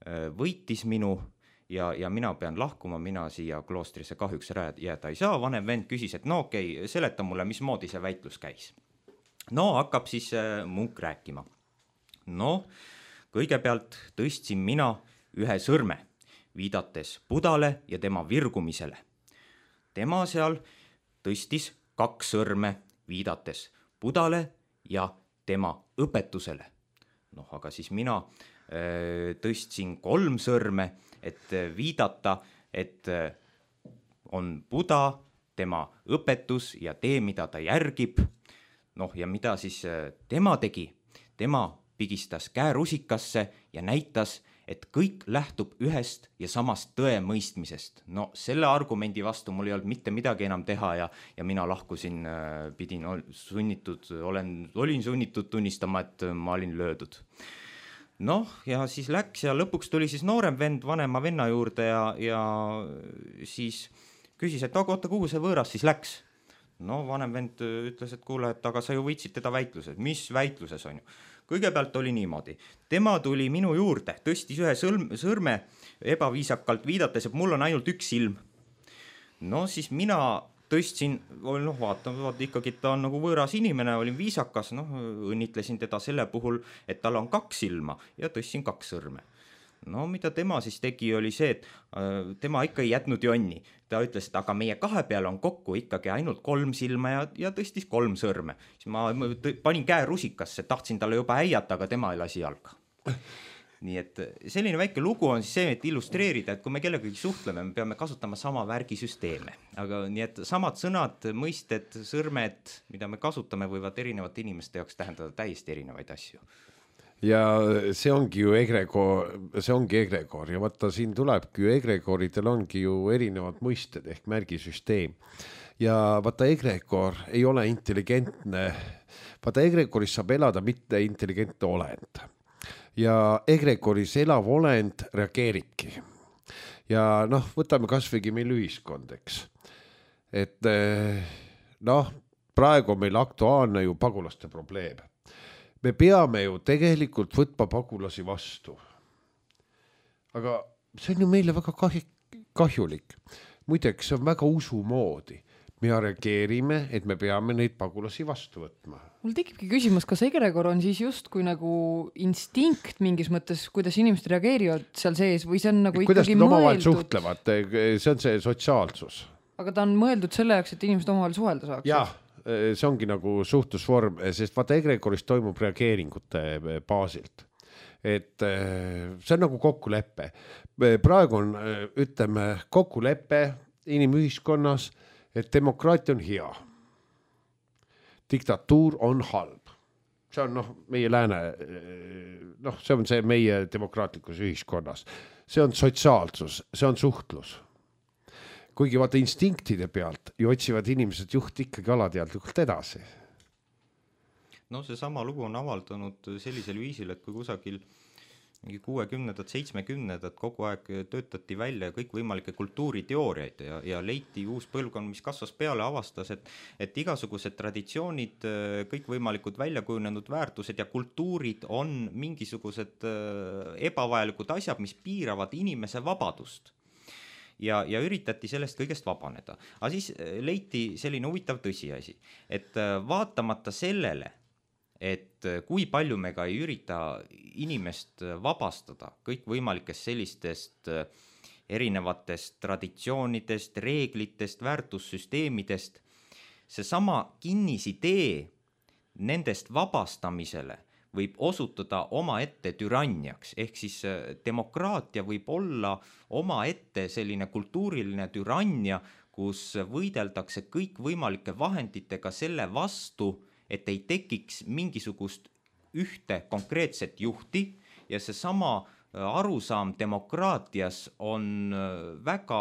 äh, võitis minu ja, ja mina pean lahkuma, mina siia kloostrisse kahjuks jääda ei saa. Vanem vend küsis, et no okei, okay, seleta mulle, mismoodi see väitlus käis. No hakkab siis äh, munk rääkima. No kõigepealt tõstsin mina ühe sõrme, viidates Budale ja tema virgumisele. Tema seal tõstis kaks sõrme, viidates Budale ja tema õpetusele. Noh, aga siis mina äh, tõstsin kolm sõrme, et viidata, et äh, on Buda, tema õpetus ja tee, mida ta järgib. Noh, ja mida siis äh, tema tegi? Tema pigistas käärusikasse ja näitas, et kõik lähtub ühest ja samast tõemõistmisest. No selle argumendi vastu mul ei olnud mitte midagi enam teha ja, ja mina lahkusin, pidin sunnitud, olen, olin sunnitud tunnistama, et ma olin löödud. Noh, ja siis läks ja lõpuks tuli siis noorem vend vanema venna juurde ja, ja siis küsis, et aga oota, kuhu see võõras siis läks? No vanem vend ütles, et kuule, et aga sa ju võitsid teda väitluses. Mis väitluses on ju? Kõigepealt oli niimoodi. Tema tuli minu juurde, tõstis ühe sõlm, sõrme ebaviisakalt viidates, et mul on ainult üks silm. No siis mina tõstsin, noh vaata, vaata ikkagi ta on nagu võõras inimene, olin viisakas, noh õnnitlesin teda selle puhul, et tal on kaks silma ja tõstsin kaks sõrme. No mida tema siis tegi, oli see, et äh, tema ikka ei jätnud jonni. Ta ütles, et aga meie kahe peal on kokku ikkagi ainult kolm silma ja, ja tõstis kolm sõrme. Siis ma panin käe rusikasse, tahtsin talle juba äiata, aga tema ei lasi jalga. Nii et selline väike lugu on siis see, et illustreerida, et kui me kellegagi suhtleme, me peame kasutama sama värgisüsteeme. Aga nii et samad sõnad, mõisted, sõrmed, mida me kasutame, võivad erinevate inimeste jaoks tähendada täiesti erinevaid asju. Ja see ongi ju egregoor, see ongi egregoor ja vaata siin tulebki ju egregoridel ongi ju erinevad mõisted ehk märgisüsteem. Ja vaata egregoor ei ole intelligentne, vaata egregoris saab elada mitte intelligentne olend. Ja egregoris elav olend reageeribki. Ja noh, võtame kasvõigi meil ühiskond, eks. Et noh, praegu on meil aktuaalne ju pagulaste probleem. Me peame ju tegelikult võtma pagulasi vastu. Aga see on ju meile väga kahjulik. Muideks, see on väga usumoodi. Me reageerime, et me peame neid pagulasi vastu võtma. Mul tekibki küsimus, kas egregor on siis just kui nagu instinkt mingis mõttes, kuidas inimesed reageerivad seal sees või see on nagu kuidas ikkagi mõeldud? mõeldud? Suhtlevad, see on see sotsiaalsus. Aga ta on mõeldud selle jaoks, et inimesed omavahel suhelda saaks? Jah. See ongi nagu suhtlusvorm, sest vaata egregoris toimub reageeringute baasilt. Et see on nagu kokkuleppe. Praegu on, ütleme, kokkuleppe inimühiskonnas, et demokraatia on hea. Diktatuur on halb. See on noh, meie lääne, noh, see on see meie demokraatlikus ühiskonnas. See on sotsiaalsus, see on suhtlus. Kuigi vaata instinktide pealt ju otsivad inimesed juht ikkagi alateadlikult edasi. No see sama lugu on avaldanud sellisel viisil, et kui kusagil kuuekümnendad, seitsmekümnendad kogu aeg töötati välja kõik võimalikke kultuuriteooriaid ja, ja leiti uus põlvkond, mis kasvas peale, avastas, et, et igasugused traditsioonid, kõik võimalikud väljakujunenud väärtused ja kultuurid on mingisugused ebavajalikud asjad, mis piiravad inimese vabadust. Ja, ja üritati sellest kõigest vabaneda. Aga siis leiti selline huvitav tõsiasi, et vaatamata sellele, et kui palju me ka ei ürita inimest vabastada kõik võimalikest sellistest erinevatest traditsioonidest, reeglitest, väärtussüsteemidest, see sama kinnisidee nendest vabastamisele võib osutuda oma ette türanniaks, ehk siis demokraatia võib olla oma ette selline kultuuriline türannia, kus võideldakse kõik võimalike vahenditega selle vastu, et ei tekiks mingisugust ühte konkreetset juhti ja see sama arusaam demokraatias on väga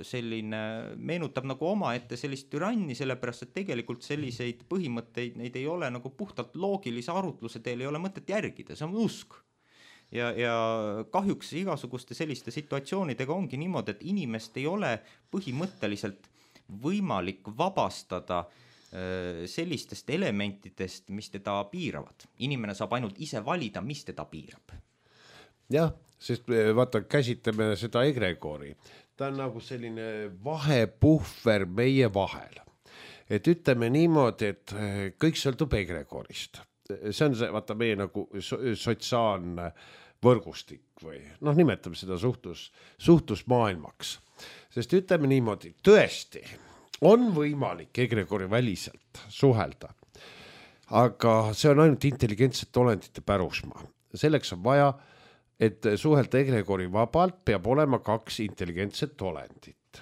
selline, meenutab nagu oma ette sellist türanni, sellepärast et tegelikult selliseid põhimõtteid, neid ei ole nagu puhtalt loogilise arutluse teel ei ole mõtet järgida, see on usk. Ja, ja kahjuks igasuguste selliste situatsioonidega ongi niimoodi, et inimest ei ole põhimõtteliselt võimalik vabastada sellistest elementidest, mis teda piiravad. Inimene saab ainult ise valida, mis teda piirab. Jah, sest vaata, käsitleme seda egregori. Ta on nagu selline vahepuhver meie vahel. Et ütleme niimoodi, et kõik sõltub egregorist. See on see, vaata meie nagu sotsiaalne võrgustik või noh, nimetame seda suhtlus, suhtlusmaailmaks. Sest ütleme niimoodi, tõesti on võimalik egregori väliselt suhelda, aga see on ainult intelligentsete olendite pärusmaa. Selleks on vaja, et suhelda egregori vabalt peab olema kaks intelligentset olendit.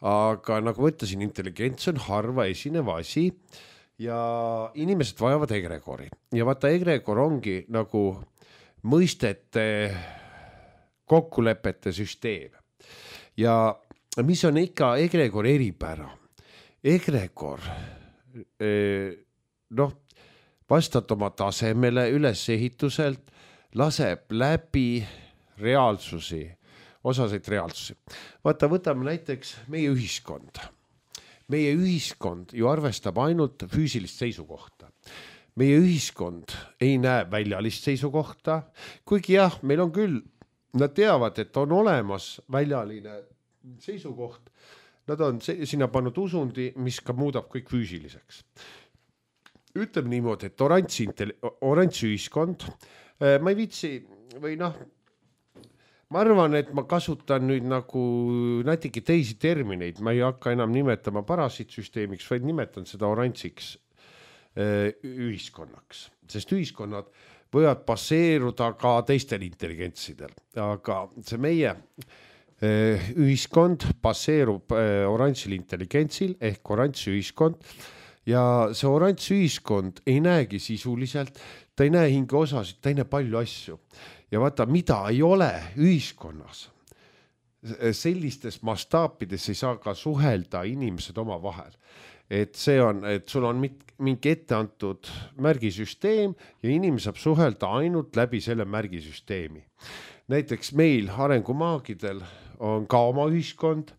Aga nagu ma ütlesin, intelligents on harva esinev asi ja inimesed vajavad egregori. Ja vaata, egregor ongi nagu mõistete kokkulepete süsteem. Ja mis on ikka egregor eripära? Egregor, noh, vastad oma tasemele ülesehituselt, laseb läbi reaalsusi, osaseid reaalsusi. Vaata, võtame näiteks meie ühiskond. Meie ühiskond ju arvestab ainult füüsilist seisukohta. Meie ühiskond ei näe väljalist seisukohta, kuigi jah, meil on küll, nad teavad, et on olemas väljaline seisukoht, nad on sinna pannud usundi, mis ka muudab kõik füüsiliseks. Ütleme niimoodi, et oranž, oranž ühiskond, ma ei viitsi või noh, ma arvan, et ma kasutan nüüd nagu natuke teisi termineid, ma ei hakka enam nimetama parasiitsüsteemiks, vaid nimetan seda oranžiks ühiskonnaks, sest ühiskonnad võivad baseeruda ka teistel intelligentsidel, aga see meie ühiskond baseerub oranžil intelligentsil ehk oranž ühiskond ja see oranž ühiskond ei näegi sisuliselt, ta ei näe hinge osasid, ta ei näe palju asju ja vaata, mida ei ole ühiskonnas, sellistes mastaapides ei saa ka suhelda inimesed oma vahel. Et see on, et sul on mingi ette antud märgisüsteem ja inimene saab suhelda ainult läbi selle märgisüsteemi. Näiteks meil arengumaagidel on ka oma ühiskond,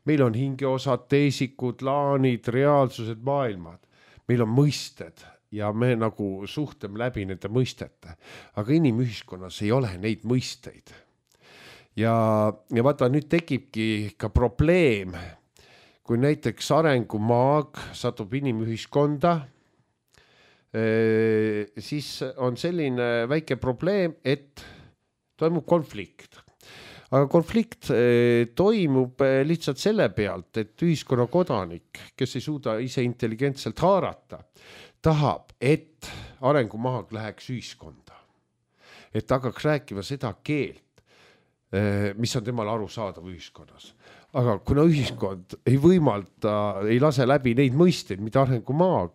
meil on hingeosad, teesikud, laanid, reaalsused, maailmad, meil on mõisted ja me nagu suhtleme läbi nende mõistete, aga inimühiskonnas ei ole neid mõisteid. Ja, ja vaata, nüüd tekibki ka probleem, kui näiteks arengumaag satub inimühiskonda, siis on selline väike probleem, et toimub konflikt. Aga konflikt toimub lihtsalt selle pealt, et ühiskonna kodanik, kes ei suuda ise intelligentselt haarata, tahab, et arengumaag läheks ühiskonda. Et hakkaks rääkima seda keelt, mis on temal aru saadav ühiskonnas. Aga kuna ühiskond ei võimalda, ei lase läbi neid mõisteid, mida arengumaag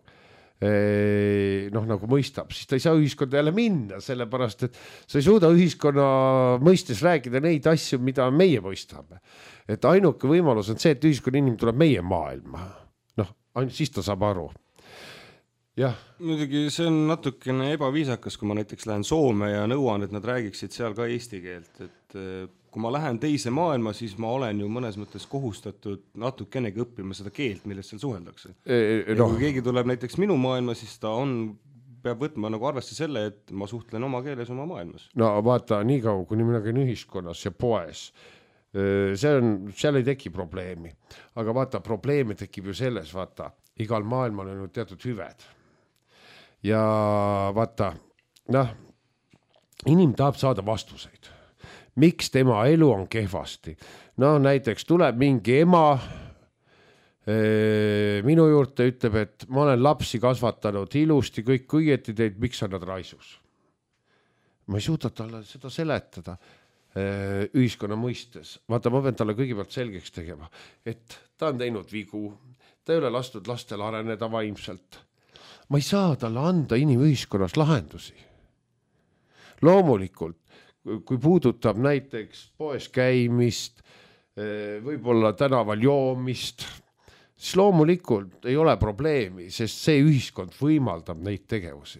noh, nagu mõistab, siis ta ei saa ühiskonda jälle minna, sellepärast, et sa ei suuda ühiskonna mõistes rääkida neid asju, mida meie mõistame. Et ainuke võimalus on see, et ühiskonna inimene tuleb meie maailma. Noh, ainult siis ta saab aru. Jah. Muidugi see on natukene ebaviisakas, kui ma näiteks lähen Soome ja nõuan, et nad räägiksid seal ka eesti keelt, et kui ma lähen teise maailma, siis ma olen ju mõnes mõttes kohustatud natukenegi õppima seda keelt, millest seal suheldakse. E, no. Kui keegi tuleb näiteks minu maailma, siis ta on, peab võtma nagu arvesse selle, et ma suhtlen oma keeles oma maailmas. No vaata, nii kaua, kuni mina käin ühiskonnas ja poes, see on, seal ei teki probleemi. Aga vaata, probleemi tekib ju selles, vaata, igal maailmal on ju teatud hüved. Ja vaata, noh, inim tahab saada vastuseid. Miks tema elu on kehvasti? No näiteks tuleb mingi ema ee, minu juurde ütleb, et ma olen lapsi kasvatanud ilusti, kõik õieti teid, miks on nad raisus? Ma ei suuda talle seda seletada ee, ühiskonna mõistes. Vaata, ma pean talle kõigepealt selgeks tegema, et ta on teinud vigu, ta ei ole lastud lastel areneda vaimselt. Ma ei saa talle anda inimühiskonnas lahendusi. Loomulikult, kui puudutab näiteks poes käimist, võib-olla tänaval joomist, siis loomulikult ei ole probleemi, sest see ühiskond võimaldab neid tegevusi.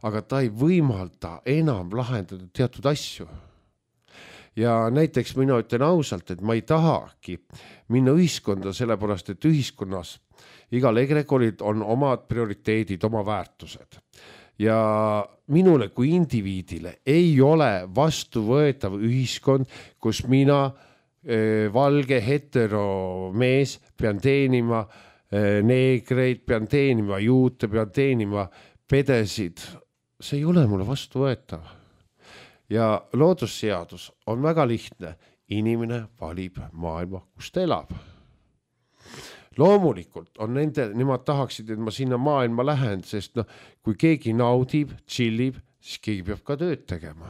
Aga ta ei võimalda enam lahendada teatud asju. Ja näiteks mina ütlen ausalt, et ma ei tahagi minna ühiskonda sellepärast, et ühiskonnas igal egregoril on omad prioriteedid, oma väärtused. Ja minule kui indiviidile ei ole vastuvõetav ühiskond, kus mina e, valge heteromees pean teenima e, neegreid, pean teenima juute, pean teenima pedesid. See ei ole mulle vastuvõetav. Ja loodusseadus on väga lihtne. Inimene valib maailma, kus ta elab. Loomulikult on nende, nemad tahaksid, et ma sinna maailma lähen, sest no, kui keegi naudib, chillib, siis keegi peab ka tööd tegema.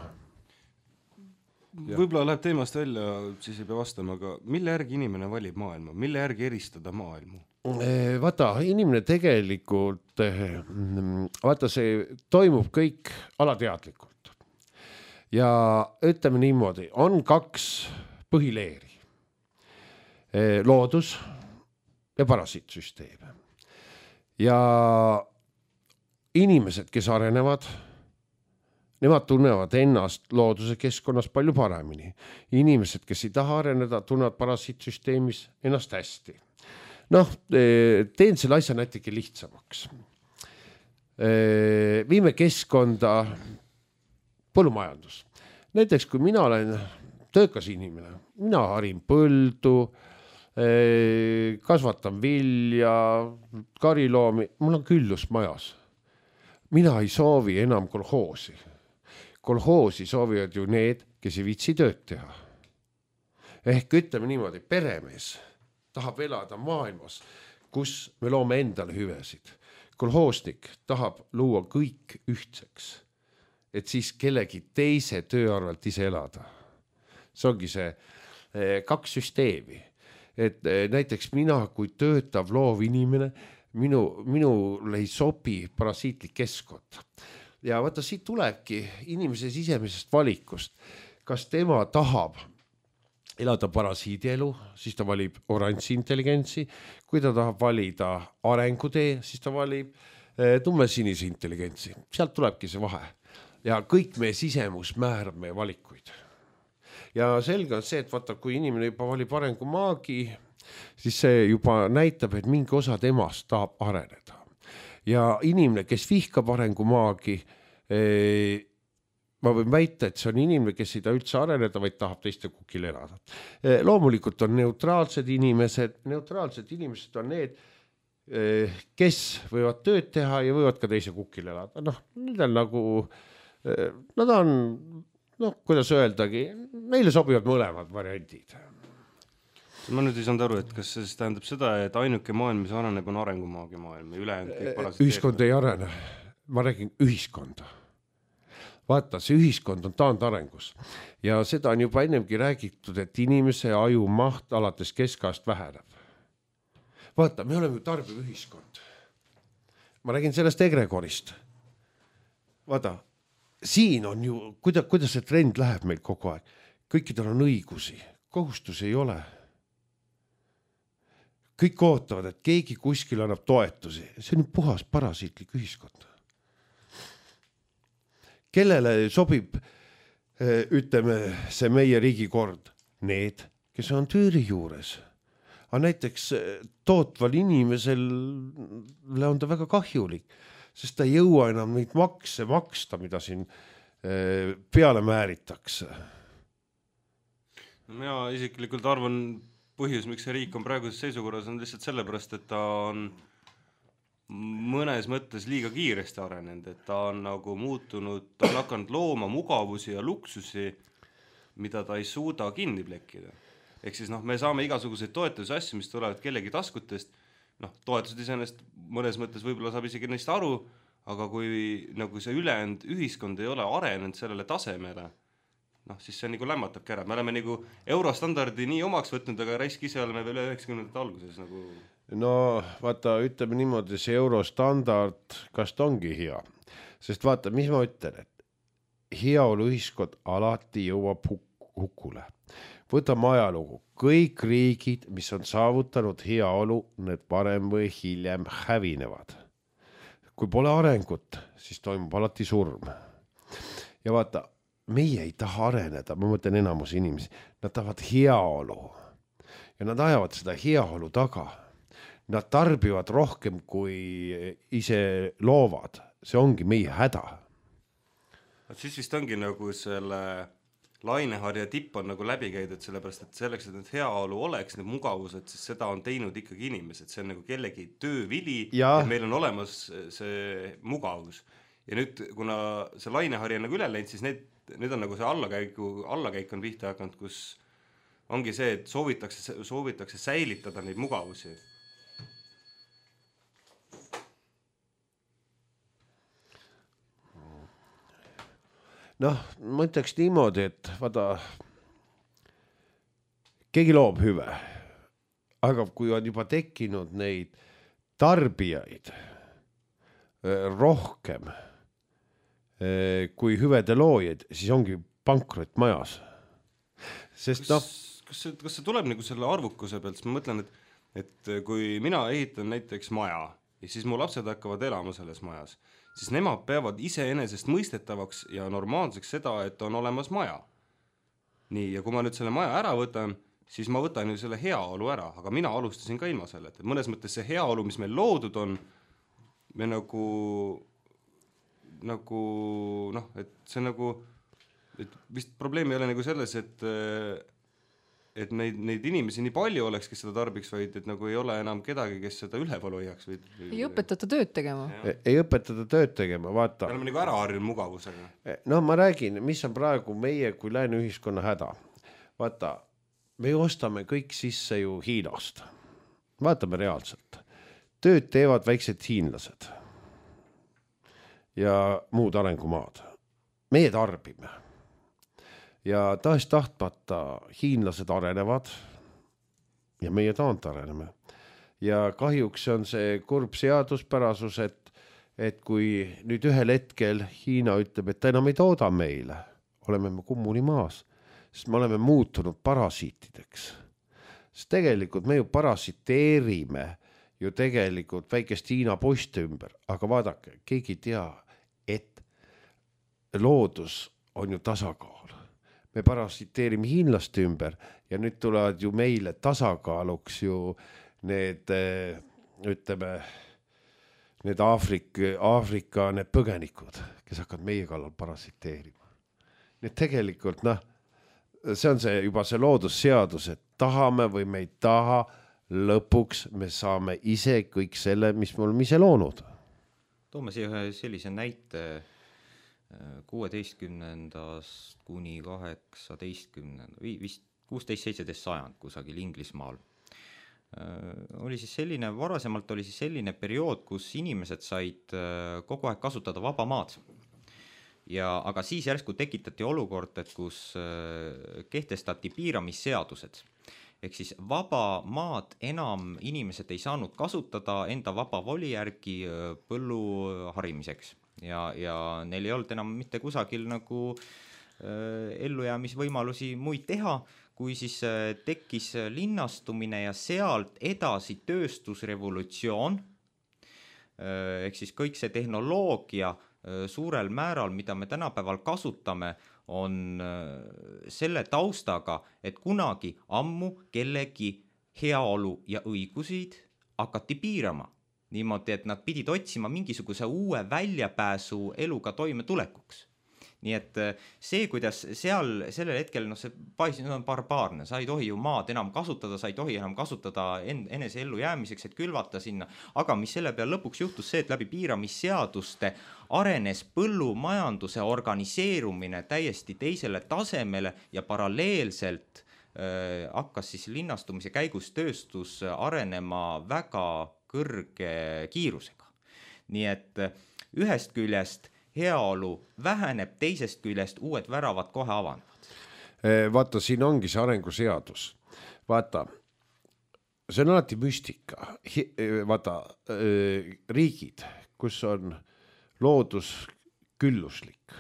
Võib-olla läheb teemast välja, siis ei pea vastama, aga mille järgi inimene valib maailma? Mille järgi eristada maailmu? Vaata, inimene tegelikult, vaata, see toimub kõik alateadlikult. ja ütleme niimoodi, on kaks põhileeri. Loodus ja parasiitsüsteem. Ja inimesed, kes arenevad, nemad tunnevad ennast looduse keskkonnas palju paremini. Inimesed, kes ei taha areneda, tunnevad parasiitsüsteemis ennast hästi. Noh, teen selle asja natuke lihtsamaks. Viime keskkonda põllumajandus. Näiteks, kui mina olen töökas inimene, mina harin põldu, kasvatan vilja, kariloomi, mul on küllus majas. Mina ei soovi enam kolhoosi. Kolhoosi soovivad ju need, kes ei viitsi tööd teha. Ehk ütleme niimoodi, peremees tahab elada maailmas, kus me loome endale hüvesid. Kolhoosnik tahab luua kõik ühtseks, et siis kellegi teise töö arvelt ise elada. See ongi see kaks süsteemi. Et näiteks mina, kui töötav loov inimene, minu, minul ei sobi parasiitlik keskkond. Ja vaata, siit tulebki inimese sisemisest valikust. Kas tema tahab elada parasiidielu, siis ta valib oranži intelligentsi. Kui ta tahab valida arengutee, siis ta valib tumme-sinise intelligentsi. Sealt tulebki see vahe. Ja kõik meie sisemus määrab meie valikuid. Ja selge on see, et vaata, kui inimene juba valib arengumaagi, siis see juba näitab, et mingi osa temast tahab areneda. Ja inimene, kes vihkab arengumaagi, ma võin väita, et see on inimene, kes ei taha üldse areneda, vaid tahab teiste kukil elada. Loomulikult on neutraalsed inimesed, neutraalsed inimesed on need, kes võivad tööd teha ja võivad ka teise kukil elada. Noh, need on nagu, nad on, noh, kuidas öeldagi, neile sobivad mõlemad variandid. Ma nüüd ei saanud aru, et kas see tähendab seda, et ainuke maailm, mis areneb, on arengumaagi maailm ja ülejäänud kõik parasiteerivad. Ühiskond ei arene. Ma räägin ühiskonda. Vaata, see ühiskond on taandarengus ja seda on juba ennemgi räägitud, et inimese aju maht alates keskajast väheneb. Vaata, me oleme ju tarbiv ühiskond. Ma räägin sellest egregorist. Vaata, siin on ju, kuidas, kuidas see trend läheb meil kogu aeg. Kõikidel on õigusi, kohustusi ei ole. Kõik ootavad, et keegi kuskil annab toetusi. See on puhas parasiitlik ühiskond. Kellele sobib, ütleme, see meie riigikord? Need, kes on tüüri juures. Aga näiteks tootval inimesel on ta väga kahjulik, sest ta ei jõua enam neid makse maksta, mida siin peale määritakse. Mina isiklikult arvan, põhjus, miks see riik on praeguses seisukorras, on lihtsalt sellepärast, et ta on mõnes mõttes liiga kiiresti arenenud, et ta on nagu muutunud, ta on hakanud looma mugavusi ja luksusi, mida ta ei suuda kinni plekkida. Ehk siis noh, me saame igasuguseid toetuse asju, mis tulevad kellegi taskutest, noh, toetused iseenesest mõnes mõttes võib-olla saab isegi neist aru, aga kui nagu see ülejäänud ühiskond ei ole arenenud sellele tasemele, noh, siis see nagu lämmatabki ära. Me oleme nagu eurostandardi nii omaks võtnud, aga raisk ise oleme veel üheksakümnendate alguses nagu... No vaata, ütleme niimoodi, see eurostandard, kas ta ongi hea? Sest vaata, mis ma ütlen, et heaolu ühiskond alati jõuab hukule. Võtame ajalugu. Kõik riigid, mis on saavutanud heaolu, need varem või hiljem hävinevad. Kui pole arengut, siis toimub alati surm. Ja vaata, meie ei taha areneda, ma mõtlen enamus inimesi, nad tahavad heaolu. Ja nad ajavad seda heaolu taga. Nad tarbivad rohkem, kui ise loovad. See ongi meie häda. Siis vist ongi nagu selle laineharja tipp on nagu läbi käidud, sellepärast, et selleks, et need heaolu oleks, need mugavused, siis seda on teinud ikkagi inimesed. See on nagu kellegi töövili ja, ja meil on olemas see mugavus. Ja nüüd, kuna see lainehari on nagu üle läinud, siis need, need on nagu see allakäiku, allakäik on pihta hakanud, kus ongi see, et soovitakse, soovitakse säilitada neid mugavusi. Noh, ma ütleks niimoodi, et vaata, keegi loob hüve, aga kui on juba tekkinud neid tarbijaid rohkem kui hüvede loojaid, siis ongi pankrot majas. Sest noh, kas see, kas see tuleb nagu selle arvukuse pealt, siis ma mõtlen, et, et kui mina ehitan näiteks maja ja siis mu lapsed hakkavad elama selles majas, siis nemad peavad iseenesest mõistetavaks ja normaalseks seda, et on olemas maja. Nii, ja kui ma nüüd selle maja ära võtan, siis ma võtan ju selle heaolu ära, aga mina alustasin ka ilma selle, et mõnes mõttes see heaolu, mis meil loodud on, me nagu, nagu noh, et see nagu, et vist probleem ei ole nagu selles, et et neid, neid inimesi nii palju oleks, kes seda tarbiks, vaid et nagu ei ole enam kedagi, kes seda üleval hoiaks. Või, või... Ei õpetata tööd tegema. Ei õpetata tööd tegema, vaata. Me oleme nagu ära harjunud mugavusega. No ma räägin, mis on praegu meie kui lääne ühiskonna häda. Vaata, me ostame kõik sisse ju Hiinast. Vaatame reaalselt. Tööd teevad väiksed hiinlased ja muud arengumaad. Meie tarbime. Ja tahes tahtmata hiinlased arenevad ja meie taant areneme. Ja kahjuks on see kurb seaduspärasus, et, et kui nüüd ühel hetkel Hiina ütleb, et ta enam ei tooda meile, oleme me kummuni maas, sest me oleme muutunud parasiitideks. Sest tegelikult me ju parasiteerime ju tegelikult väikest Hiina poiste ümber, aga vaadake, keegi ei tea, et loodus on ju tasakaal. Me parasiteerime hiinlaste ümber ja nüüd tulevad ju meile tasakaaluks ju need, ütleme, need Aafrika, Aafrika need põgenikud, kes hakkavad meie kallal parasiteerima. Need tegelikult, noh, see on see juba see loodusseadus, et tahame või me ei taha, lõpuks me saame ise kõik selle, mis me oleme ise loonud. Toome siia ühe sellise näite kuueteistkümnendast kuni kaheksateistkümnenda, vist kuusteist seitseteist sajand kusagil Inglismaal. Oli siis selline, varasemalt oli siis selline periood, kus inimesed said kogu aeg kasutada vaba maad. Ja, aga siis järsku tekitati olukord, et kus kehtestati piiramisseadused. Ehk siis vaba maad enam inimesed ei saanud kasutada enda vaba voli järgi põllu harimiseks. Ja, ja neil ei olnud enam mitte kusagil nagu äh, ellujäämisvõimalusi muid teha, kui siis äh, tekkis linnastumine ja sealt edasi tööstusrevolutsioon, äh, ehk siis kõik see tehnoloogia äh, suurel määral, mida me tänapäeval kasutame, on äh, selle taustaga, et kunagi ammu kellegi heaolu ja õigusid hakati piirama. Niimoodi, et nad pidid otsima mingisuguse uue väljapääsu eluga toimetulekuks. Nii et see, kuidas seal sellel hetkel, no see paisin on barbaarne, sa ei tohi ju maad enam kasutada, sa ei tohi enam kasutada en, enese ellu jäämiseks, et külvata sinna. Aga mis selle peal lõpuks juhtus see, et läbi piiramisseaduste arenes põllumajanduse organiseerumine täiesti teisele tasemele ja paralleelselt äh, hakkas siis linnastumise käigus tööstus arenema väga kõrge kiirusega. Nii et ühest küljest heaolu väheneb, teisest küljest uued väravad kohe avanevad. Vaata, siin ongi see arenguseadus. Vaata, see on alati müstika. Vaata, riigid, kus on loodus külluslik,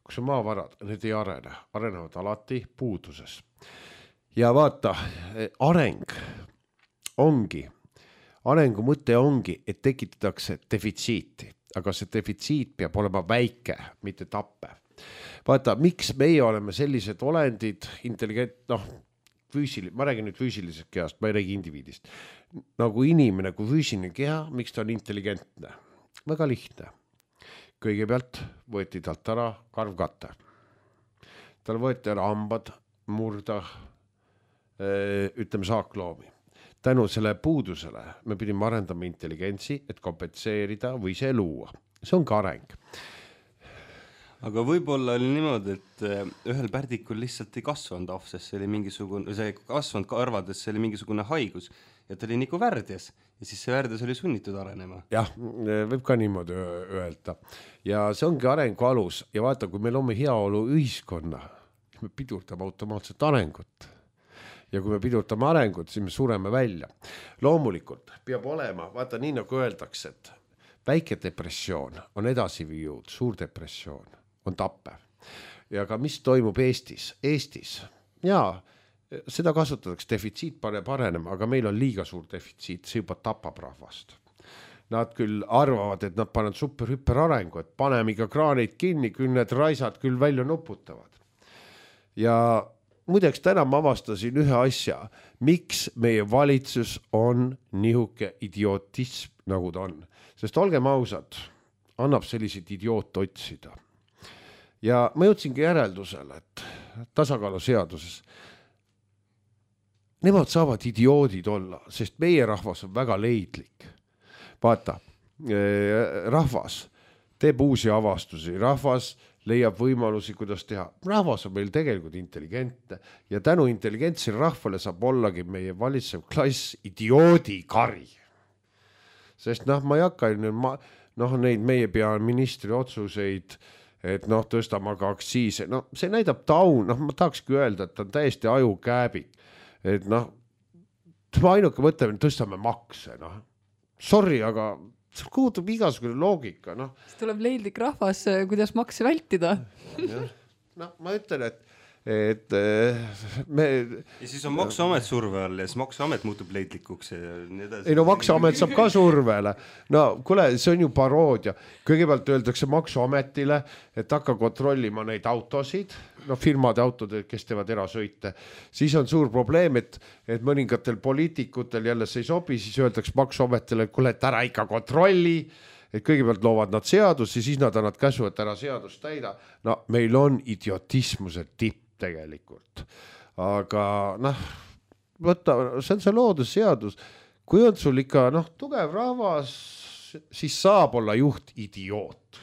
kus on maavarad, need ei arene, arenevad alati puuduses. Ja vaata, areng ongi Arengu mõte ongi, et tekitatakse defitsiiti, aga see defitsiit peab olema väike, mitte tappe. Vaata, miks meie oleme sellised olendid, intelligent, noh, füüsili, ma räägin nüüd füüsilisest kehast, ma ei räägi indiviidist. Nagu inimene kui füüsiline keha, miks ta on intelligentne? Väga lihtne. Kõigepealt võeti talt ära karvkatte. Tal võeti ära hambad, murda, ütleme saakloomi. Tänu selle puudusele me pidime arendama intelligentsi, et kompenseerida või see luua. See on ka areng. Aga võib-olla oli niimoodi, et ühel pärdikul lihtsalt ei kasvanud ahv, sest see oli mingisugune, see kasvanud karvades, see oli mingisugune haigus ja ta oli nagu värdjas ja siis see värdjas oli sunnitud arenema. Jah, võib ka niimoodi öelda. Ja see ongi arengu alus ja vaata, kui me loome heaolu ühiskonna, me pidurdame automaatselt arengut. Ja kui me pidurtame arengut, siis me sureme välja. Loomulikult peab olema, vaata nii nagu öeldakse, et väike depressioon on edasi viinud, suur depressioon on tappev. Ja ka mis toimub Eestis, Eestis, jaa, seda kasutatakse, defitsiit paneb arenema, aga meil on liiga suur defitsiit, see juba tapab rahvast. Nad küll arvavad, et nad panevad super hüper arengu, et paneme iga kraanid kinni, küll need raisad küll välja nuputavad. Ja muideks täna ma avastasin ühe asja, miks meie valitsus on nihuke idiotism, nagu ta on. Sest olgem ausad, annab selliseid idioot otsida. Ja ma jõudsingi järeldusele, et tasakaalu seaduses nemad saavad idioodid olla, sest meie rahvas on väga leidlik. Vaata, rahvas teeb uusi avastusi, rahvas leiab võimalusi, kuidas teha. Rahvas on meil tegelikult intelligentne ja tänu intelligentsile rahvale saab ollagi meie valitsev klass idioodi kari. Sest noh, ma ei hakka noh, neid meie peaministri otsuseid, et noh, tõstame aga aktsiise. No see näidab taun, noh, ma tahakski öelda, et ta on täiesti aju kääbik. Et noh, ma ainuke mõtleme, tõstame makse, noh. Sorry, aga see kuutub igasugune loogika, noh. See tuleb leidlik rahvas, kuidas makse vältida. No ma ütlen, et et me... Ja siis on Maksuamet surve all ja siis Maksuamet muutub leidlikuks ja nii edasi. Ei no Maksuamet saab ka survele. No kuule, see on ju paroodia. Kõigepealt öeldakse Maksuametile, et hakka kontrollima neid autosid, no firmade autod, kes teevad erasõite. Siis on suur probleem, et, et mõningatel poliitikutel jälle see ei sobi, siis öeldakse Maksuametile, et kuule, et ära ikka kontrolli, et kõigepealt loovad nad seadusi, siis nad annavad käsu, et ära seadust täida. No meil on idiotismuse tipp tegelikult. Aga noh, võtta, see on see loodusseadus. Kui on sul ikka noh, tugev rahvas, siis saab olla juht idioot.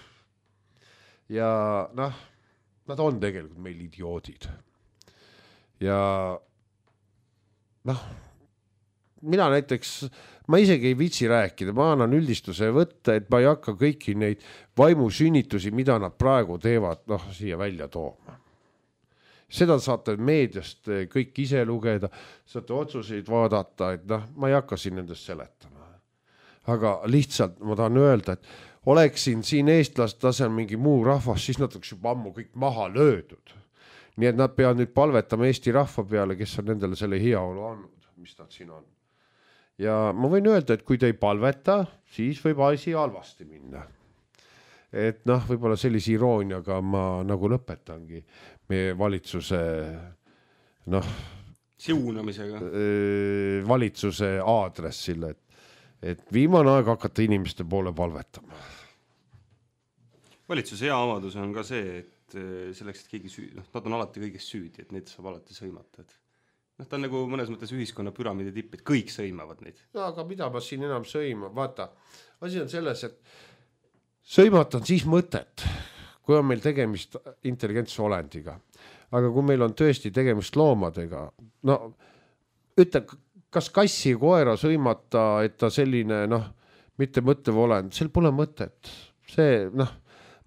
Ja noh, nad on tegelikult meil idioodid. Ja noh, mina näiteks, ma isegi ei vitsi rääkida, ma annan üldistuse võtta, et ma ei hakka kõiki neid vaimusünnitusi, mida nad praegu teevad, noh, siia välja tooma. Seda saate meediast kõik ise lugeda, saate otsuseid vaadata, et noh, ma ei hakka siin nendest seletama. Aga lihtsalt ma tahan öelda, et oleksin siin eestlast tasel mingi muu rahvas, siis nad oleks juba ammu kõik maha löödud. Nii et nad peavad nüüd palvetama Eesti rahva peale, kes on nendele selle heaolu andnud, mis nad siin on. Ja ma võin öelda, et kui te ei palveta, siis võib asi halvasti minna. Et noh, võib-olla sellise irooniaga ma nagu lõpetangi meie valitsuse noh, siunamisega valitsuse aadressile, et, et viimane aeg hakata inimeste poole palvetama. Valitsuse hea amadus on ka see, et selleks, et keegi süü, noh, nad on alati kõigest süüdi, et neid saab alati sõimata. Et noh, ta on nagu mõnes mõttes ühiskonna püramiidi tipp, et kõik sõimavad neid. No, aga mida ma siin enam sõima? Vaata, asi on selles, et sõimata on siis mõtet, kui on meil tegemist intelligentse olendiga. Aga kui meil on tõesti tegemist loomadega, no ütle, kas kassi koera sõimata, et ta selline, noh, mitte mõttev olend, sel pole mõtet. See, noh,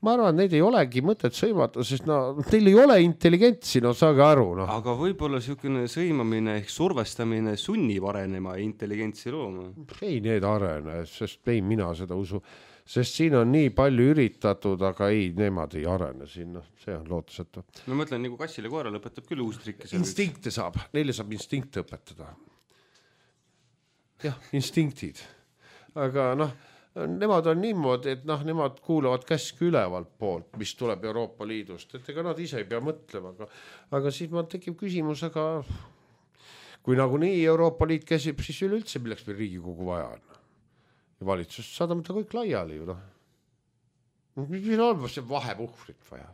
ma arvan, neid ei olegi mõtet sõimata, sest no, teil ei ole intelligentsi, no saage aru. No. Aga võib-olla siukene sõimamine ehk survestamine sunnib arenema intelligentsi looma. Ei, need arene, sest ei mina seda usu. Sest siin on nii palju üritatud, aga ei, nemad ei arene siin, no, see on lootusetu. No mõtlen, nagu kassile koera lõpetab küll uus trikk. Instinkte saab, neile saab instinkte õpetada. Jah, instinktid. Aga noh, nemad on niimoodi, et noh, nemad kuulavad käsku ülevalt poolt, mis tuleb Euroopa Liidust, et ega nad ise ei pea mõtlema, aga, aga siis ma tekib küsimus, aga kui nagu nii Euroopa Liit käsib, siis üleüldse milleks meil Riigikogu vaja on. Ja valitsus saadame ta kõik laiali ju, noh. Mis on see vahepuhvrit vaja?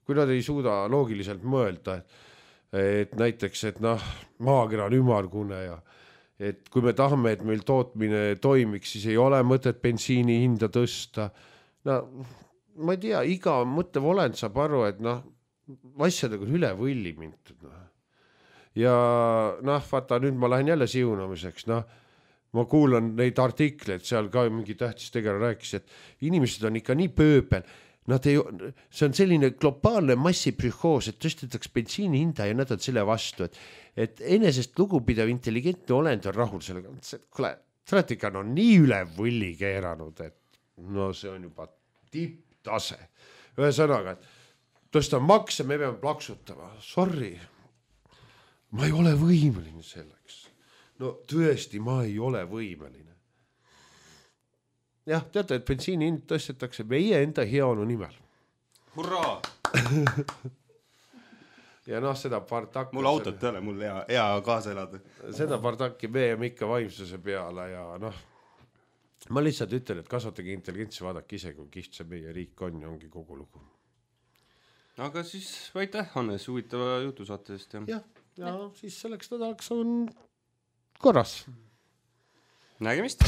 Kui nad ei suuda loogiliselt mõelda, et, et näiteks, et noh, maakera on ümargune ja et kui me tahame, et meil tootmine toimiks, siis ei ole mõtet bensiini hinda tõsta. No, ma ei tea, iga mõttev olend saab aru, et noh, asjadega on üle võlli mintud. No. Ja noh, vaata, nüüd ma lähen jälle siunamiseks, noh, ma kuulan neid artikleid, seal ka mingi tähtis tegelane rääkis, et inimesed on ikka nii pööbel, nad ei, see on selline globaalne massipsühhoos, et tõstetaks bensiini hinda ja nad on selle vastu, et, et enesest lugupidav intelligentne olend on rahul sellega. Kule, traatika on nii üle võlli keeranud, et no see on juba tipptase. ühesõnaga, et tõsta makse, me peame plaksutama. Sorry, ma ei ole võimeline selleks. No tõesti, ma ei ole võimeline. Jah, teate, et bensiini hind tõstetakse meie enda heaolu nimel. Hurraa! Ja noh, seda partakki... Mul autot ei ole, mul hea, hea kaasa elada. Seda partakki me jääme ikka vaimsuse peale ja noh, ma lihtsalt ütlen, et kasvatage intelligentsi, vaadake ise, kui kiht see meie riik on ja ongi kogu lugu. Aga siis aitäh, Hannes, huvitava jutusaate eest. Ja, ja, ja siis selleks nädalaks on korras. Nägemist!